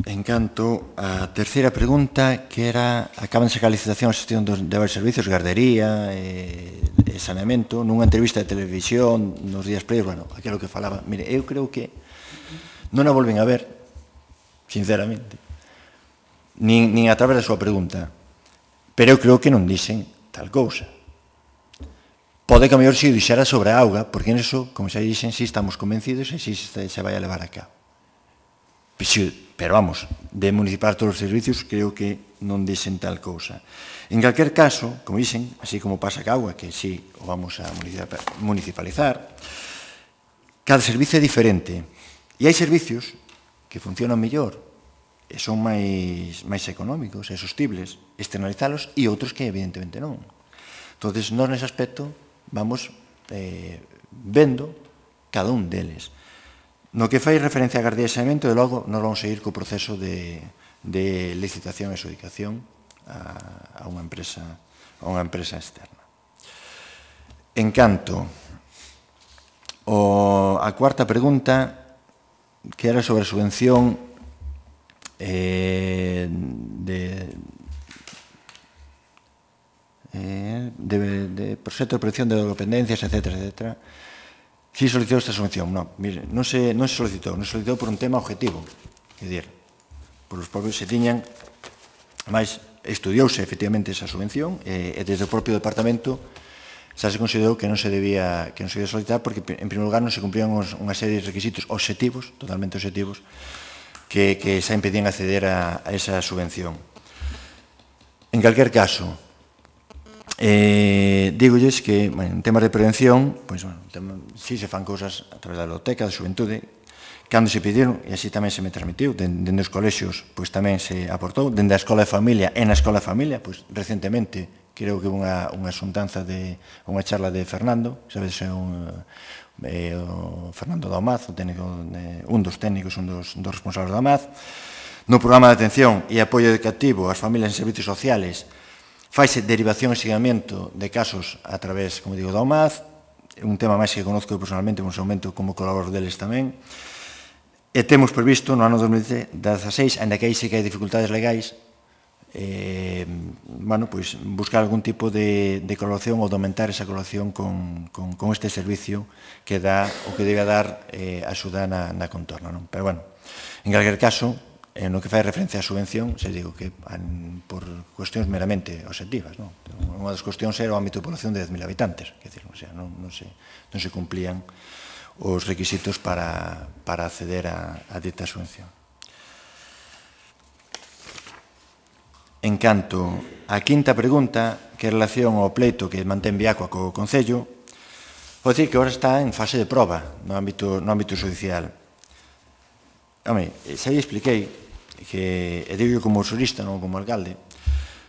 En canto á terceira pregunta, que era acaban de sacar a licitación a xestión de varios servicios, gardería e, e saneamento, nunha entrevista de televisión nos días previos, bueno, aquilo que falaba, mire, eu creo que non a volven a ver, sinceramente, nin, nin a través da súa pregunta, pero eu creo que non dixen tal cousa. Pode que a mellor se dixera sobre a auga, porque niso, como xa dixen, si estamos convencidos e si se vai a levar a cabo. Pero vamos, de municipar todos os servicios, creo que non dixen tal cousa. En calquer caso, como dixen, así como pasa ca auga, que si o vamos a municipalizar, cada servicio é diferente. E hai servicios que funcionan mellor, e son máis, máis económicos e sostibles, externalizalos, e outros que evidentemente non. Entón, nós nese aspecto vamos eh, vendo cada un deles. No que fai referencia a gardería e saneamento, de logo, nós vamos a ir co proceso de, de licitación e adxudicación a, a unha empresa, a unha empresa externa. En canto o, a cuarta pregunta, que era sobre a subvención Eh, de, eh, de, de proxecto de protección de dependencias, etcétera, etcétera. Si solicitou esta subvención, non, mire, non se, non se solicitou, non se solicitou por un tema objetivo, é dicir, por os propios se tiñan, máis estudiouse efectivamente esa subvención e, e desde o propio departamento xa se considerou que non se debía que non se debía solicitar porque en primeiro lugar non se cumplían unha serie de requisitos obxectivos, totalmente obxectivos, que, que xa impedían acceder a, a esa subvención. En calquer caso, eh, digolles que, bueno, en temas de prevención, pois, bueno, tema, si se fan cousas a través da biblioteca, da xuventude, cando se pediron, e así tamén se me transmitiu, dende os colexios, pois tamén se aportou, dende a Escola de Familia, e na Escola de Familia, pois recentemente, creo que unha, unha xuntanza de, unha charla de Fernando, sabes, é un... Eh, o Fernando da OMAZ, o técnico, eh, un dos técnicos, un dos, dos responsables da OMAZ, no programa de atención e apoio educativo ás familias en servicios sociales faise derivación e seguimento de casos a través, como digo, da OMAZ, un tema máis que conozco personalmente, no seu momento como colaborador deles tamén, e temos previsto no ano dos mil dieciséis, ainda que aí sí que hai dificultades legais, eh, bueno, pues, buscar algún tipo de, de colaboración ou de aumentar esa colaboración con, con, con este servicio que dá o que debe dar eh, a axuda na, na contorna, non? Pero, bueno, en calquer caso, en no que fai referencia á subvención, se digo que an, por cuestións meramente objetivas, non? Unha das cuestións era o ámbito de población de dez mil habitantes, que decir, o sea, non, non, se, non se cumplían os requisitos para, para acceder a, a dita subvención. En canto á quinta pregunta, que é relación ao pleito que mantén Viacua co Concello, vou dicir que agora está en fase de proba no ámbito, no ámbito judicial. Home, xa lle expliquei que, e digo como xurista, non como alcalde,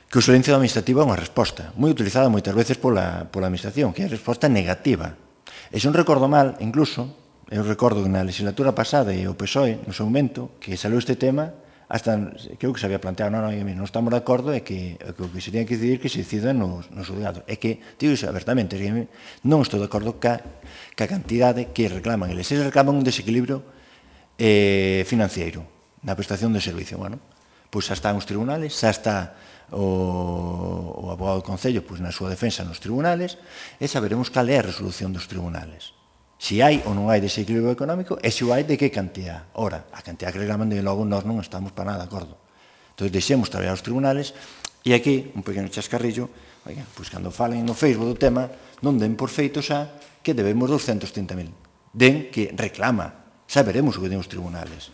que o silencio administrativo é unha resposta moi utilizada moitas veces pola, pola administración, que é a resposta negativa. E se non recordo mal, incluso, eu recordo que na legislatura pasada e o P S O E, no seu momento, que saliu este tema, hasta, creo que se había planteado, non, non, non estamos de acordo, é que o que se tiene que decidir que se decida nos, nos juzgados. É que, digo iso abertamente, non estou de acordo ca, ca cantidade que reclaman. Eles se reclaman un desequilibrio eh, financiero na prestación de servicio. Bueno, pois xa están os tribunales, xa está o, o abogado do Concello pois, na súa defensa nos tribunales, e saberemos cal é a resolución dos tribunales. Si hai ou non hai desequilibrio económico, e se o hai, de que cantidad. Ora, a cantidad que reclaman, de logo, nós non estamos para nada de acordo. Entón, deixemos traballar os tribunales, e aquí, un pequeno chascarrillo, oiga, pois cando falen no Facebook do tema, non den por feito xa que debemos doscientos trinta mil. Den que reclama, xa veremos o que den os tribunales.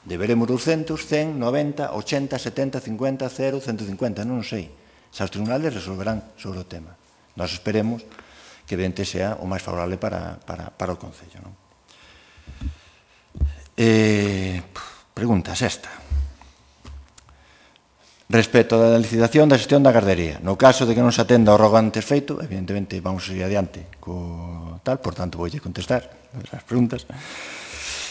Deberemos doscientos, cen, noventa, ochenta, setenta, cincuenta, cero, ciento cincuenta, non sei. Xa os tribunales resolverán sobre o tema. Nós esperemos que evidente sea o máis favorable para, para, para o Concello. Non? Eh, pregunta sexta. Respecto da licitación da xestión da gardería, no caso de que non se atenda ao rogo antes feito, evidentemente vamos a seguir adiante co tal, por tanto voulle contestar as preguntas.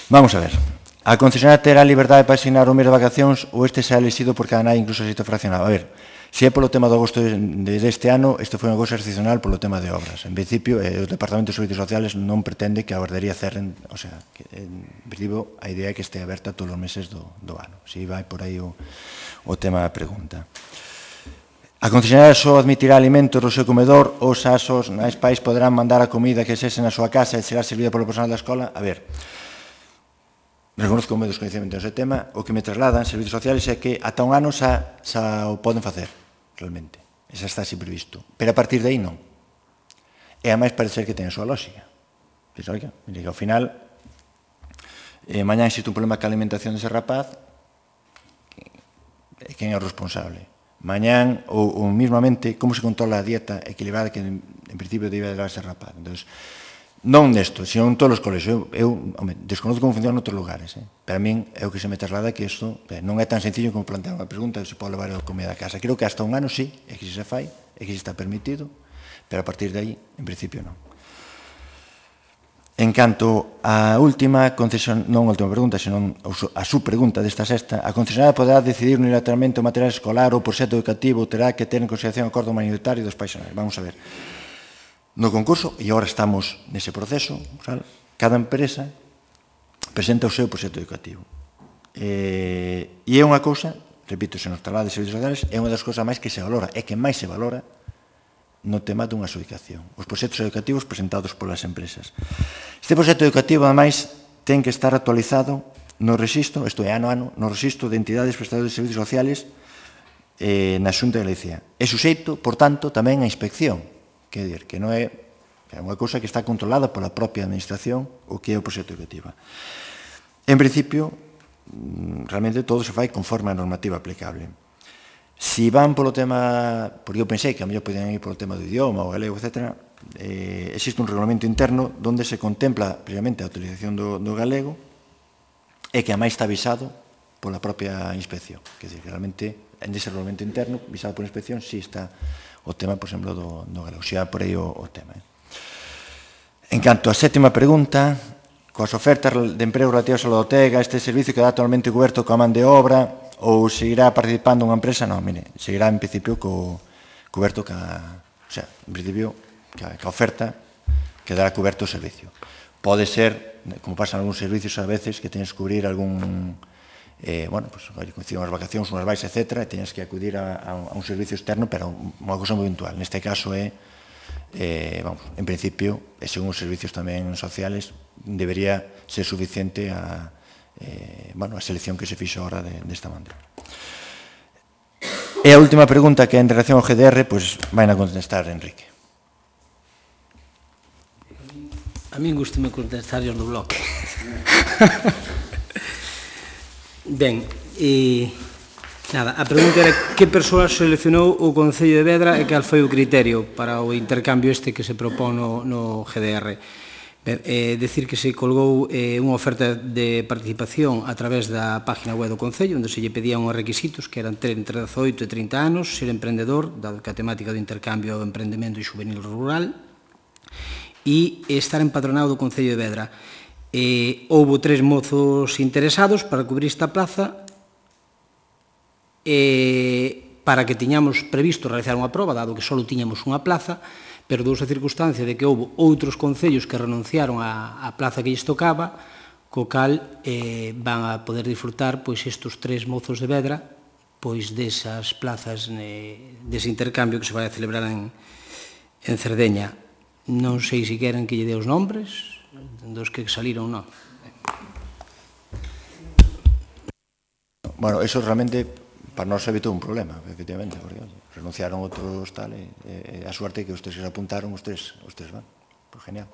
Vamos a ver. A concesionaria terá liberdade para asignar o mes de vacacións ou este será elegido por cada nai, incluso se está fraccionado? A ver, se é polo tema do agosto deste ano, isto foi unha cousa excepcional polo tema de obras. En principio, o Departamento de Servicios Sociales non pretende que a guardería cerren, o sea, que, en principio, a idea é que este aberta todos os meses do, do ano. Si vai por aí o, o tema da pregunta. A concesionaria só admitirá alimentos do seu comedor ou xa os nais pais poderán mandar a comida que sese na súa casa e será servida polo personal da escola? A ver, reconozco o meu descoñecemento nese tema, o que me trasladan servicios sociales é que ata un ano xa, xa o poden facer, realmente. Xa está así previsto. Pero a partir de aí non. E a máis parece que ten a súa lógica. Dice, oiga, mire que ao final, eh, mañá existe un problema ca alimentación dese rapaz, e quen é o responsable? Mañán, ou, ou mismamente, como se controla a dieta equilibrada que en, en principio debe dar ese rapaz? Entón, non nesto, sino en todos os colegios. Eu, eu home, desconozco como funciona en outros lugares, eh? pero a min é o que se me traslada que isto eh, non é tan sencillo como plantear unha pregunta se pode levar a comida a casa. Creo que hasta un ano sí, é que se fai, é que se está permitido, pero a partir de aí, en principio, non. En canto á última concesión, non a última pregunta, senón a súa pregunta desta sexta, a concesionaria poderá decidir unilateralmente o material escolar ou proxecto educativo terá que ter en consideración o acordo mayoritario dos paisonais. Vamos a ver. No concurso, e agora estamos nese proceso, cada empresa presenta o seu proxecto educativo. E é unha cousa, repito, se nos traslada de servicios sociales, é unha das cousas máis que se valora, é que máis se valora no tema dunha adxudicación. Os proxectos educativos presentados polas empresas. Este proxecto educativo, ademais, ten que estar actualizado no rexistro, isto é, ano a ano, no rexistro de entidades prestadoras de servicios sociales na Xunta de Galicia. É suxeito, por tanto, tamén a inspección. Quer dizer, que non é, é unha cousa que está controlada pola propia administración o que é o proxecto educativo. En principio, realmente todo se fai conforme a normativa aplicable. Si van polo tema, porque eu pensei que a mellor podían ir polo tema do idioma, o galego, etcétera, eh, existe un regulamento interno onde se contempla previamente a utilización do, do galego e que a máis está avisado pola propia inspección. Quer dizer, que realmente, en ese regulamento interno, visado pola inspección, si está o tema, por exemplo, do, do galego. Xa por aí o, o tema. Eh. En canto á sétima pregunta, coas ofertas de emprego relativas ao Lodotega, este servicio queda actualmente coberto coa man de obra ou seguirá participando unha empresa? Non, mire, seguirá en principio co, coberto ca, o sea, en principio, ca, ca oferta quedará coberto o servicio. Pode ser, como pasa en algúns servicios a veces, que tenes que cubrir algún... Eh, bueno, pues, coinciden unhas vacacións, unhas vais, etcétera, e teñas que acudir a, a, a un servicio externo, pero unha cousa moi puntual. Neste caso é, eh, vamos, en principio, e según os servicios tamén sociales, debería ser suficiente a, eh, bueno, a selección que se fixo ahora de, desta maneira. E a última pregunta, que é en relación ao G D R, pois vai a contestar Enrique. A min gustame contestar os do bloque. Ben, e nada, a pregunta era que persoa seleccionou o Concello de Vedra e cal foi o criterio para o intercambio este que se propón no, no G D R. Eh, decir que se colgou eh, unha oferta de participación a través da página web do Concello, onde se lle pedían uns requisitos que eran ter entre dezoito e trinta anos, ser emprendedor, dado que a temática do intercambio é o emprendemento e juvenil rural, e estar empadronado do Concello de Vedra. Eh, houbo tres mozos interesados para cubrir esta plaza, eh, para que tiñamos previsto realizar unha proba, dado que só tiñamos unha plaza, pero dous a circunstancia de que houve outros concellos que renunciaron á, á plaza que lles tocaba, co cal eh, van a poder disfrutar pois estes tres mozos de Vedra pois desas plazas, eh, dese intercambio que se vai a celebrar en, en Cerdeña. Non sei se queren que lle dé os nombres dos que saliron, non. Bueno, eso realmente para nós evitou un problema, efectivamente, porque oye, renunciaron outros tal, e, e a suerte que os tres que se apuntaron, os tres, os tres van. Pues genial.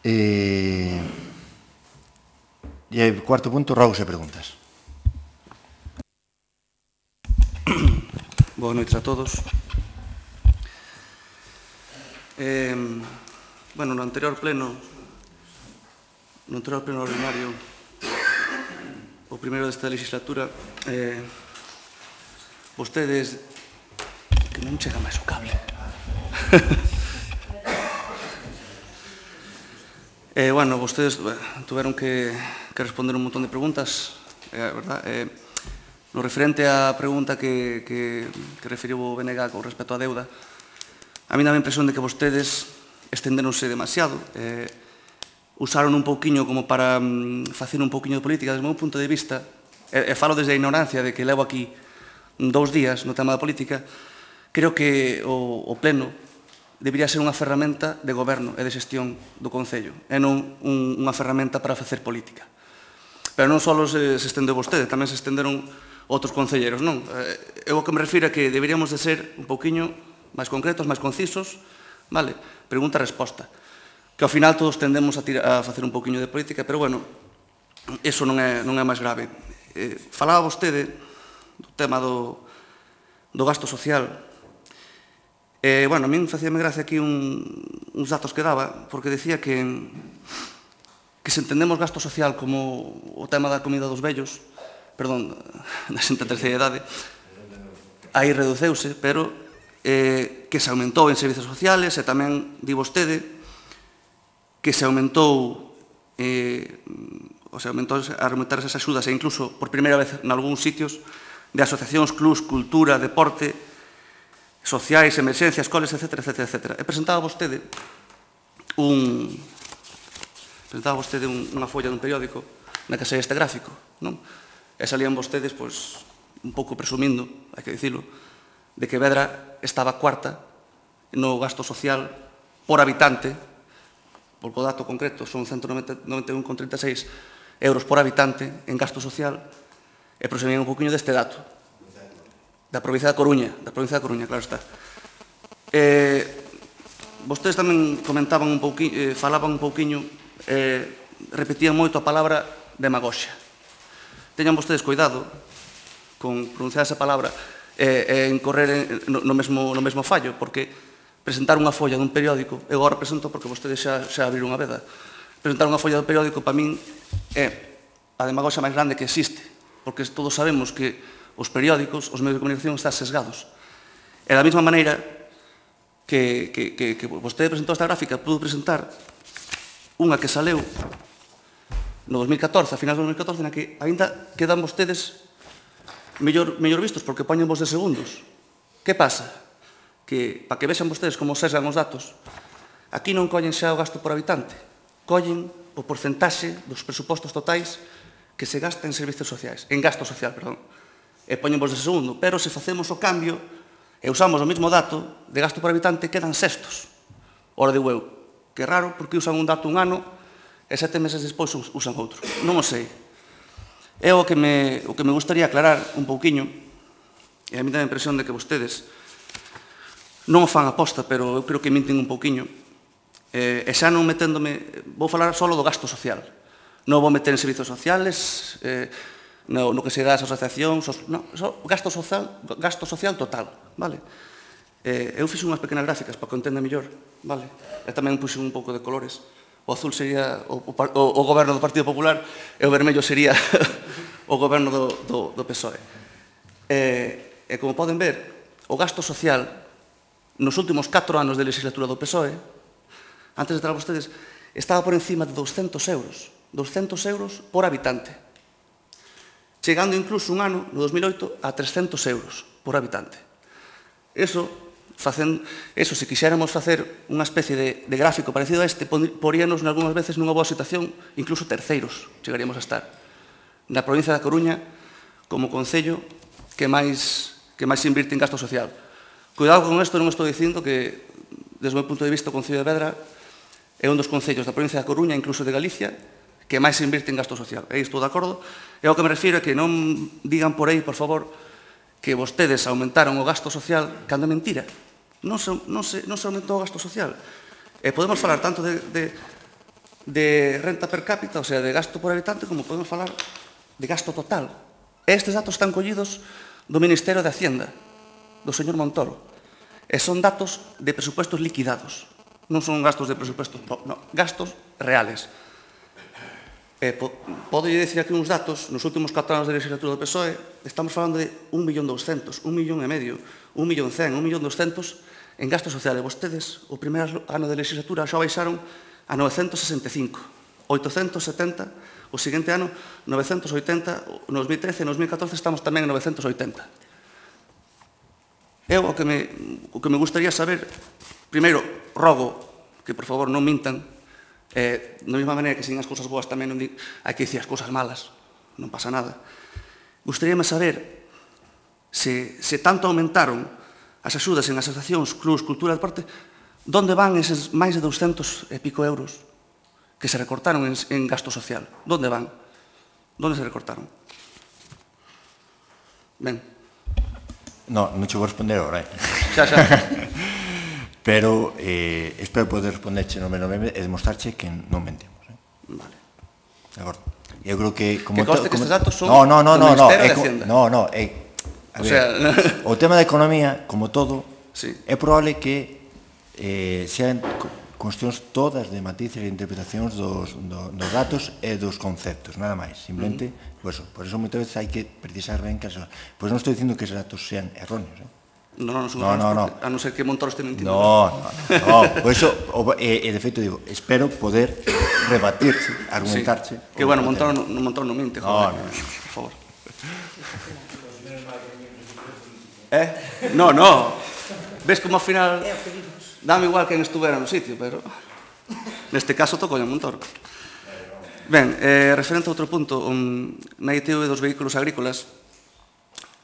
E, e o cuarto punto, rogos e preguntas. Boa noite a todos. Eh, bueno, no anterior pleno, no anterior pleno ordinario, o primeiro desta legislatura, eh, vostedes, que non chega máis o cable. eh, bueno, vostedes bueno, tuveron que, que responder un montón de preguntas, eh, verdad? Eh, no referente á pregunta que, que, que referiu o B N G con respecto á deuda, a mí dá a impresión de que vostedes estenderonse demasiado, eh, usaron un pouquiño como para mm, facer un pouquiño de política. Desde o meu punto de vista, e, e falo desde a ignorancia de que levo aquí dous días no tema da política, creo que o, o pleno debería ser unha ferramenta de goberno e de xestión do Concello, e non un, unha ferramenta para facer política. Pero non só se, se estendeu vostede, tamén se estenderon outros concelleros, non? Eu o que me refiro é que deberíamos de ser un pouquiño máis concretos, máis concisos, vale? Pregunta-resposta. Que ao final todos tendemos a, tira, a facer un pouquiño de política, pero bueno, eso non é, non é máis grave. Eh, falaba vostede do tema do, do gasto social. Eh, bueno, a min facíame gracia aquí un, uns datos que daba, porque decía que, que se entendemos gasto social como o tema da comida dos vellos, perdón, da xente da terceira idade, aí reduceuse, pero eh, que se aumentou en servizos sociales, e tamén di vostede que se aumentou eh, o sea, aumentou a aumentar esas axudas, e incluso por primeira vez en algúns sitios de asociacións, clubs, cultura, deporte, sociais, emerxencias, escoles, etcétera, etcétera, etcétera. E presentaba vostede un presentaba vostede un, unha folla dun periódico na que saía este gráfico, non? E salían vostedes, pois, un pouco presumindo, hai que dicilo, de que Vedra estaba cuarta no gasto social por habitante, porque o dato concreto son ciento noventa e un coma trinta e seis euros por habitante en gasto social, e prosumían un poquinho deste dato, da provincia da Coruña, da provincia da Coruña, claro está. Eh, vostedes tamén comentaban un pouquiño, eh, falaban un pouquiño, eh, repetían moito a palabra demagoxia. Teñan vostedes cuidado con pronunciar esa palabra e, e incorrer no, no, mesmo, no mesmo fallo, porque presentar unha folla dun periódico, eu agora presento porque vostedes xa, xa abriron unha veda, presentar unha folla dun periódico para min é a demagoxia máis grande que existe, porque todos sabemos que os periódicos, os medios de comunicación están sesgados. E da mesma maneira que, que, que, que vostede presentou esta gráfica, pudo presentar unha que saleu no dos mil catorce, a finais do dos mil catorce, na que ainda quedan vostedes mellor, mellor vistos, porque poñen vos de segundos. Que pasa? Que, para que vexan vostedes como sesgan os datos, aquí non collen xa o gasto por habitante, collen o porcentaxe dos presupostos totais que se gasta en servicios sociais, en gasto social, perdón, e poñen vos de segundo, pero se facemos o cambio e usamos o mesmo dato de gasto por habitante, quedan sextos. Ora digo eu, que raro, porque usan un dato un ano e sete meses despois usan outro. Non o sei. É o que me, o que me gustaría aclarar un pouquiño, e a mí dá a impresión de que vostedes non o fan aposta, pero eu creo que minten un pouquiño, e xa non meténdome, vou falar só do gasto social, non vou meter en servizos sociales, eh, no, no que se dá as asociacións, no, só gasto social, gasto social total, vale? Eh, eu fixe unhas pequenas gráficas para que o entenda mellor, vale? E tamén puxe un pouco de colores. O azul sería o, o, o goberno do Partido Popular e o vermello sería o goberno do, do, do P S O E. E, e como poden ver, o gasto social nos últimos catro anos de legislatura do P S O E, antes de entrar vostedes, estaba por encima de douscentos euros. douscentos euros por habitante. Chegando incluso un ano, no dos mil oito, a trescentos euros por habitante. Eso, facendo, eso se quixéramos facer unha especie de, de gráfico parecido a este, poríanos algunhas veces nunha boa situación, incluso terceiros chegaríamos a estar. Na provincia da Coruña, como concello que máis, que máis invirte en gasto social. Cuidado con isto, non estou dicindo que, desde o meu punto de vista, o Concello de Vedra é un dos concellos da provincia da Coruña, incluso de Galicia, que máis invirte en gasto social. E estou de acordo. E ao que me refiro é que non digan por aí, por favor, que vostedes aumentaron o gasto social cando é mentira. Non se, non se, non se aumentou o gasto social. E podemos falar tanto de, de, de renta per cápita, o sea, de gasto por habitante, como podemos falar de gasto total. E estes datos están collidos do Ministerio de Hacienda, do señor Montoro. E son datos de presupuestos liquidados. Non son gastos de presupuestos, no, gastos reales. Eh, po, podo dicir aquí uns datos, nos últimos catro anos de legislatura do P S O E, estamos falando de un millón doscientos, un millón e medio, un millón cen, un millón doscientos en gasto social. E vostedes, o primeiro ano de legislatura, xa baixaron a novecentos sesenta e cinco, oitocentos setenta, o seguinte ano, novecentos oitenta, no dos mil trece e no dos mil catorce estamos tamén en novecentos oitenta. Eu, o que me, o que me gustaría saber, primeiro, rogo que, por favor, non mintan. Eh, da mesma maneira que sin as cousas boas tamén non di, hai que dicir as cousas malas, non pasa nada. Gustaríame saber se, se tanto aumentaron as axudas en asociacións, clubs, cultura, deporte, donde van eses máis de douscentos e pico euros que se recortaron en, en gasto social? Donde van? Donde se recortaron? Ben. No, non che vou responder agora, eh? Xa, xa. Pero eh, espero poder responderche no menos breve e demostrarche que non mentimos. Eh? Vale. De acordo. Eu creo que... Como que conste que como, estes datos son no, no, no, do no, no, Ministerio é, de Hacienda. No, no, é... A O ver, sea... o tema da economía, como todo, sí. É probable que eh, sean cuestións todas de matices e interpretacións dos, do, dos datos e dos conceptos, nada máis. Simplemente, uh -huh. pues, por eso moitas veces hai que precisar ben que... Pois non estou dicindo que esos datos sean erróneos, eh? No, no, no, no, no. A non ser que Montoro este mentindo. No, no, no. Por eso, e, e de feito digo, espero poder rebatirse, argumentarse. Sí. Que bueno, Montoro non Montoro non minte, joder. No, no, por favor. Eh? No, no. Ves como ao final dame igual quen estuvera no sitio, pero neste caso tocou a Montoro. Ben, eh, referente a outro punto, um, na I T V dos vehículos agrícolas,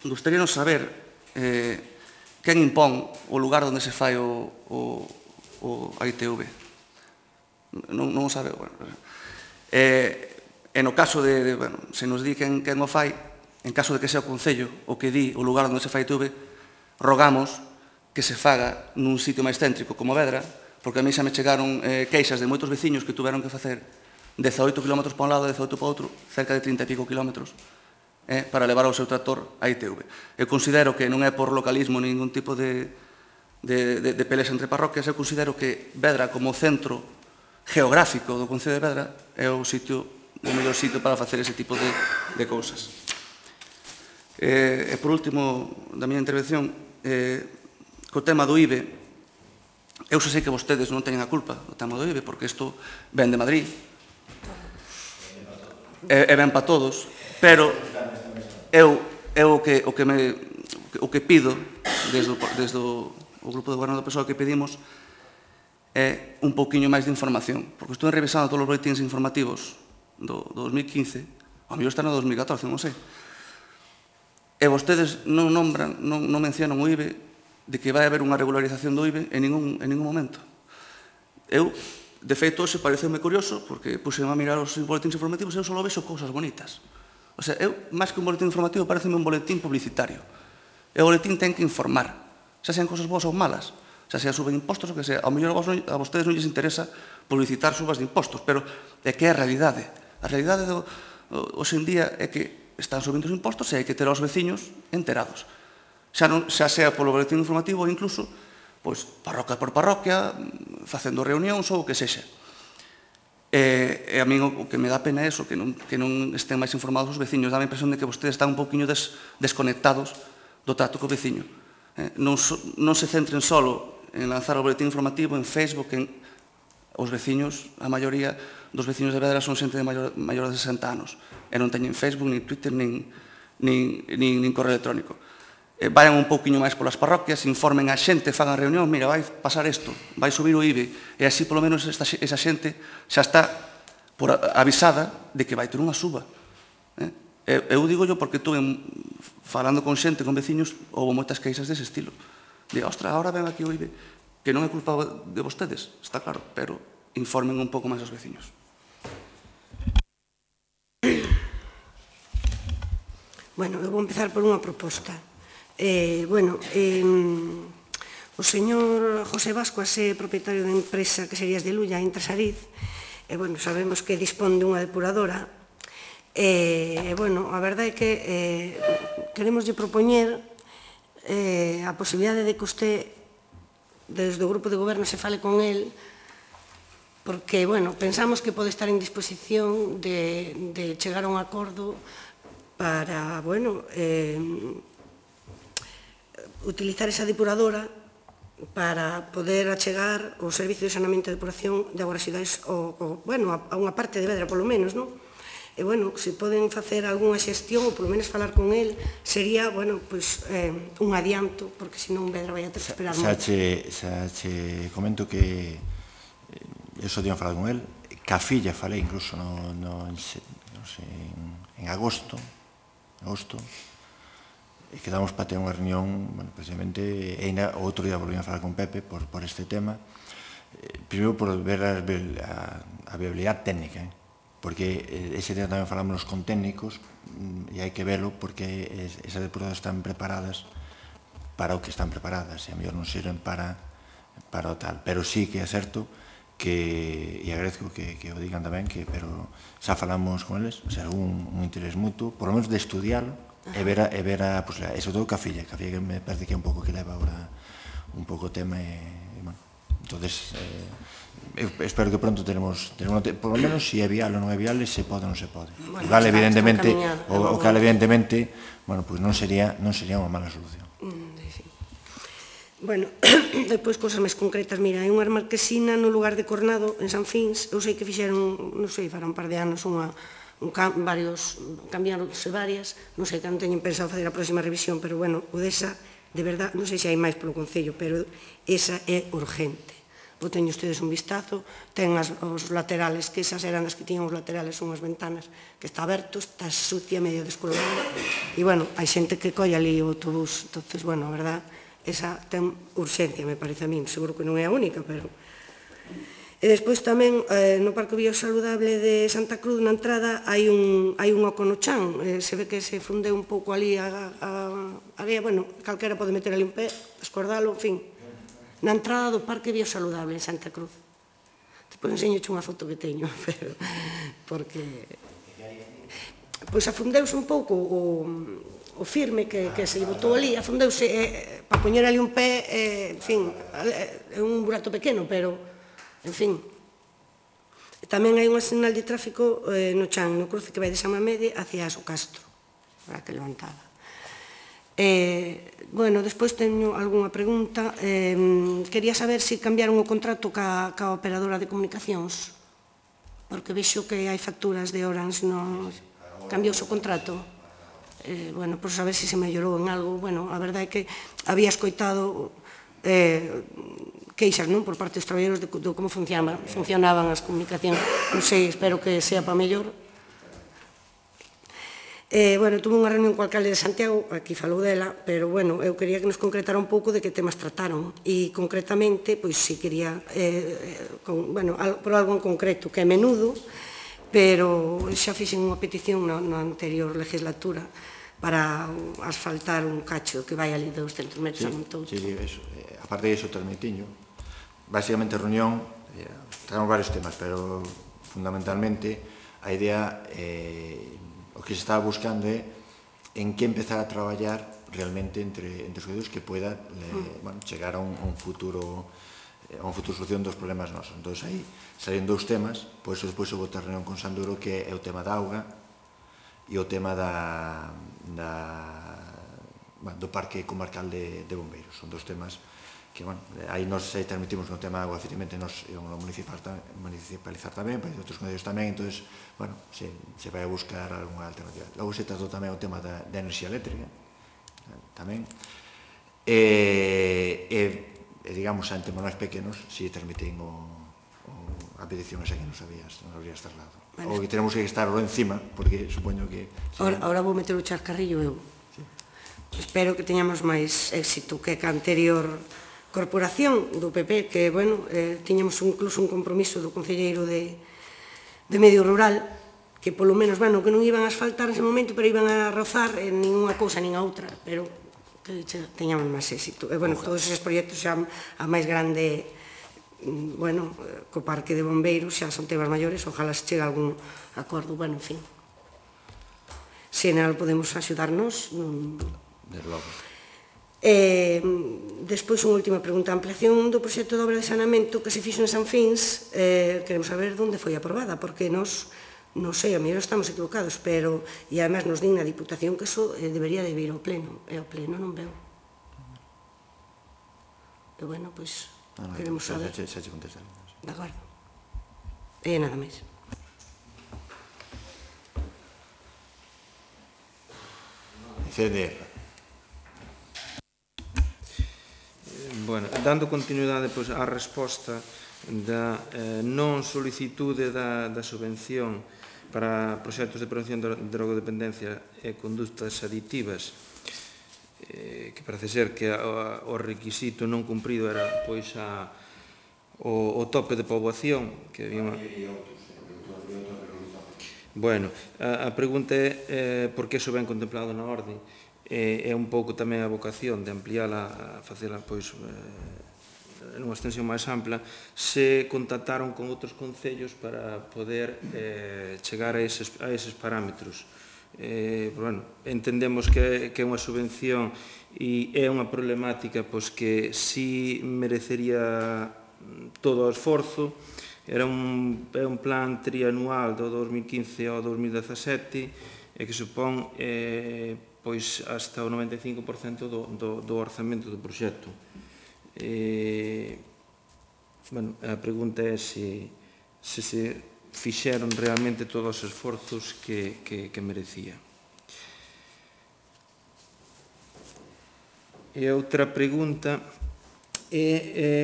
gustaríanos saber eh, quen impón o lugar onde se fai o, o, o a I T V. Non, non o sabe. Bueno, eh, e no caso de, de bueno, se nos di quen, quen o fai, en caso de que sea o Concello o que di o lugar onde se fai a I T V, rogamos que se faga nun sitio máis céntrico como Vedra, porque a mí xa me chegaron eh, queixas de moitos veciños que tuveron que facer dezaoito kilómetros para un lado e dezaoito para outro, cerca de trinta e pico kilómetros, eh, para levar o seu tractor a I T V. Eu considero que non é por localismo ningún tipo de, de, de, de peleas entre parroquias, eu considero que Vedra como centro geográfico do Concello de Vedra é o sitio, o mellor sitio para facer ese tipo de, de cousas. Eh, e por último, da miña intervención, eh, co tema do I B E, eu xa sei que vostedes non teñen a culpa do tema do I B E, porque isto ven de Madrid, e, e ven para todos, pero eu, eu o, que, o, que me, o que pido desde, o, desde o, o grupo de goberno do P S O E que pedimos é un pouquiño máis de información, porque estou revisando todos os boletins informativos do, do dos mil quince, ao mellor está no dos mil catorce, non sei, e vostedes non nombran, non, non mencionan o I B E, de que vai haber unha regularización do I B E en ningún, en ningún momento. Eu, de feito, hoxe pareceume curioso, porque puxeme a mirar os boletins informativos e eu só vexo cousas bonitas. O sea, eu, máis que un boletín informativo, pareceme un boletín publicitario. E o boletín ten que informar, xa sean cousas boas ou malas, xa sea suben impostos ou que sea. Ao mellor a vostedes non lles interesa publicitar subas de impostos, pero é que é a realidade. A realidade do, hoxe en día é que están subindo os impostos e hai que ter aos veciños enterados. Xa, non, xa sea polo boletín informativo ou incluso pois, parroquia por parroquia, facendo reunións ou o que sexa. E, e a mí o que me dá pena é eso, que non, que non estén máis informados os veciños. Dá a impresión de que vostedes están un pouquiño des, desconectados do trato co veciño. Eh, non, so, non se centren solo en lanzar o boletín informativo en Facebook, en os veciños, a maioría dos veciños de Vedra son xente de maior, maior de sesenta anos e non teñen Facebook, nin Twitter, nin, nin, nin, nin correo electrónico. Eh, vayan un pouquiño máis polas parroquias, informen a xente, fagan reunión, mira, vai pasar isto, vai subir o I B E, e así polo menos esta, esa xente xa está por avisada de que vai ter unha suba. Eh? Eu digo yo porque tuve, falando con xente, con veciños, houve moitas queixas dese estilo. Diga, ostra, ahora ven aquí o I B E, que non é culpa de vostedes, está claro, pero informen un pouco máis aos veciños. Bueno, eu vou empezar por unha proposta. Eh, bueno, eh, o señor José Vascuas é propietario da empresa que sería de Lulla, Intrasariz, e, bueno, sabemos que dispón dunha depuradora, e, bueno, a verdade é que eh, queremos lle propoñer eh, a posibilidade de que usted, desde o grupo de goberno, se fale con el, porque, bueno, pensamos que pode estar en disposición de, de chegar a un acordo para, bueno, eh, utilizar esa depuradora para poder achegar o servicio de saneamento e depuración de augas residuais o, o, bueno, a, a unha parte de Vedra, polo menos, non? E, bueno, se poden facer algunha xestión ou polo menos falar con el, sería, bueno, pois, eh, un adianto, porque senón Vedra vai a ter que esperar xa moito. che, xa che comento que eu só tinha falado con el, ca filla falei incluso no, no, no sé, en, en agosto, agosto, e quedamos para ter unha reunión, bueno, precisamente, e ainda outro día volvían a falar con Pepe por, por este tema, eh, primeiro por ver a, a, a viabilidade técnica, eh? Porque ese día tamén falamos con técnicos, e hai que velo porque esas depuradoras están preparadas para o que están preparadas, e a mellor non sirven para, para o tal, pero sí que é certo que, e agradezco que, que o digan tamén, que, pero xa falamos con eles, o sea, un, un interés mutuo, por lo menos de estudiarlo, e ver a, e ver a posibilidad, e sobre todo ca filla, ca filla que me parece que é un pouco que leva ahora un pouco o tema, e, e bueno, entonces, eh, eu espero que pronto tenemos, tenemos por lo menos, se si é viable ou non é viable, se pode ou non se pode. Bueno, o cal, evidentemente, o, o cal, evidentemente, bueno, pues non sería, non sería unha mala solución. Mm, sí. Bueno, depois, cousas máis concretas, mira, hai unha marquesina no lugar de Cornado, en San Fins, eu sei que fixeron, non sei, fará un par de anos, unha, un cam, varios, cambiaronse varias, non sei que non teñen pensado fazer a próxima revisión, pero, bueno, o desa, de verdad, non sei se hai máis polo Concello, pero esa é urgente. O teño ustedes un vistazo, ten as, os laterales, que esas eran as que tiñan os laterales, son as ventanas, que está aberto, está sucia, medio descolorada, e, bueno, hai xente que colle ali o autobús, entonces, bueno, a verdad, esa ten urxencia, me parece a mí, seguro que non é a única, pero... E despois tamén, eh, no Parque Biosaludable de Santa Cruz, na entrada, hai un, hai un oco no chan, eh, se ve que se fundeu un pouco ali a, a, a area, bueno, calquera pode meter ali un pé, escordalo, en fin, na entrada do Parque Biosaludable en Santa Cruz. Despois enseñoche unha foto que teño, pero, porque... Pois afundeuse un pouco o, o firme que, que se botou ali, afundeuse, eh, para poñer ali un pé, eh, en fin, é un burato pequeno, pero... En fin, tamén hai unha señal de tráfico eh, no chan, no cruce que vai de San Mamede hacia o Castro, para que levantada. Eh, bueno, despois teño algunha pregunta. Eh, quería saber se cambiaron o contrato ca, ca operadora de comunicacións, porque vexo que hai facturas de Orange, no, cambiouse o contrato. Eh, bueno, por saber se se mellorou en algo. Bueno, a verdade é que había escoitado... Eh, queixas, non, por parte dos traballadores de, de como funcionaban, funcionaban as comunicacións. Non sei, espero que sea para mellor. Eh, bueno, tuve unha reunión co alcalde de Santiago, aquí falou dela, pero, bueno, eu quería que nos concretara un pouco de que temas trataron. E, concretamente, pois, si quería, eh, con, bueno, por algo en concreto, que é menudo, pero xa fixen unha petición na, na anterior legislatura para asfaltar un cacho que vai ali de doscentos metros a Montouto. Sí, sí, eso. Eh, aparte de iso, transmitiño, basicamente reunión, eh, traemos varios temas, pero fundamentalmente a idea, eh, o que se estaba buscando é en que empezar a traballar realmente entre, entre os concellos que pueda le, bueno, chegar a un, a un futuro a un futuro solución dos problemas nosos. Entón, aí salen dous temas, por iso despois houve outra reunión con Sanduro, que é o tema da auga e o tema da, da, bueno, do Parque Comarcal de, de Bombeiros. Son dos temas que, bueno, aí nos aí transmitimos no tema da auga, efectivamente, nos íbamos a municipalizar tamén, para outros concellos tamén, entón, bueno, se, se vai a buscar algunha alternativa. Logo se tratou tamén o tema da, da enerxía eléctrica, tamén, e, e, e digamos, ante monos pequenos, si transmitín o, o, a petición esa que nos habías, nos habías trasladado. Bueno, o que tenemos que estar lo encima, porque supoño que... Ahora, ahora vou meter o charcarrillo eu. Sí. Espero que teñamos máis éxito que a anterior corporación do P P, que, bueno, eh, tiñamos incluso un compromiso do concelleiro de, de Medio Rural, que polo menos, bueno, que non iban a asfaltar nese momento, pero iban a rozar en ninguna cousa nin a outra, pero que teñamos máis éxito. E, bueno, todos esos proxectos xa a máis grande, bueno, co Parque de Bombeiros, xa son temas maiores, ojalá se chegue a algún acordo, bueno, en fin. Se en algo podemos axudarnos, non... Desde logo. Eh, despois, unha última pregunta. A ampliación do proxecto de obra de saneamento que se fixo en San Fins, eh, queremos saber onde foi aprobada, porque nos, non sei, a mellor estamos equivocados, pero, e además nos din na Diputación que eso eh, debería de vir ao pleno, e ao pleno non veo. E, bueno, pois, Ah, no, queremos xa, saber. xa, xa, xa contestaré. De acordo. E nada máis. C D R. Bueno, dando continuidade pois, á resposta da eh, non solicitude da, da subvención para proxectos de prevención de drogodependencia e conductas aditivas, eh, que parece ser que a, o requisito non cumprido era pois a, o, o tope de poboación que había unha... Bueno, a, a pregunta é eh, por que iso ben contemplado na orde. É un pouco tamén a vocación de ampliála, a facela pois nunha extensión máis ampla, se contactaron con outros concellos para poder eh, chegar a eses, a eses parámetros. Eh, bueno, entendemos que, que é unha subvención e é unha problemática pois, que si merecería todo o esforzo. Era un, é un plan trianual do dos mil quince ao dos mil dezasete e que supón eh, pois hasta o noventa e cinco por cento do, do, do orzamento do proxecto. Eh, bueno, a pregunta é se, se se fixeron realmente todos os esforzos que, que, que merecía. E outra pregunta é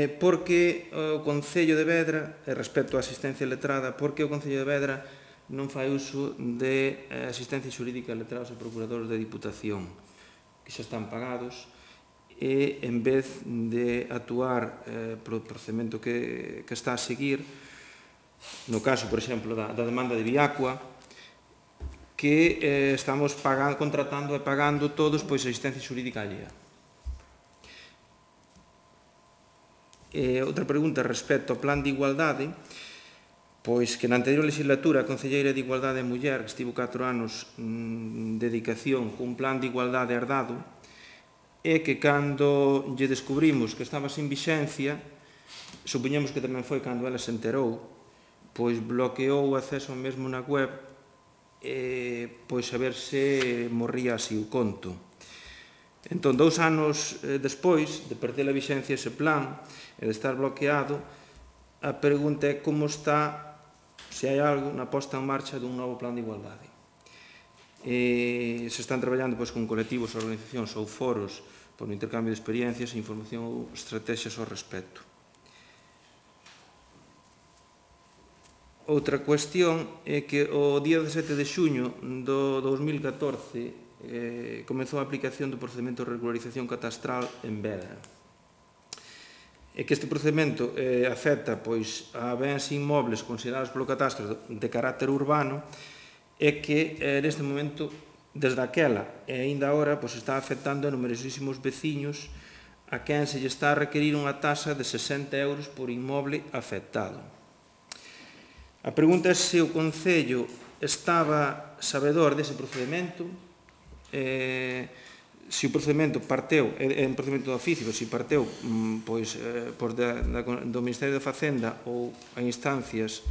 eh, por que o Concello de Vedra, respecto á asistencia letrada, por que o Concello de Vedra non fai uso de asistencia xurídica a letrados e procuradores da Diputación, que xa están pagados, e en vez de actuar eh, polo procedimento que, que está a seguir, no caso, por exemplo, da, da demanda de Viacua, que eh, estamos pagando, contratando e pagando todos pois asistencia xurídica allea. E outra pregunta respecto ao plan de igualdade, pois que na anterior legislatura a Concelleira de Igualdade e Muller, que estivo catro anos en dedicación cun plan de igualdade herdado, e que cando lle descubrimos que estaba sin vixencia, supoñemos que tamén foi cando ela se enterou, pois bloqueou o acceso mesmo na web, e, pois a ver se morría así o conto. Entón, dous anos despois de perder a vixencia ese plan e de estar bloqueado, a pregunta é como está, se hai algo, na posta en marcha dun novo plan de igualdade. E se están traballando pois, con colectivos, organizacións ou foros por un intercambio de experiencias, información ou estrategias ao respecto. Outra cuestión é que o día dezasete de xuño do dos mil catorce eh, comezou a aplicación do procedimento de regularización catastral en Vedra. E que este procedimento eh, afecta pois, a bens inmobles considerados polo catastro de carácter urbano e que eh, neste momento, desde aquela e aínda agora, pois, está afectando a numerosísimos veciños a quen se lle está a requerir unha taxa de sesenta euros por inmoble afectado. A pregunta é se o Concello estaba sabedor dese procedimento, eh, se o procedimento parteu, é un procedimento de oficio, se parteu pois, pois da, da, do Ministerio de Facenda ou a instancias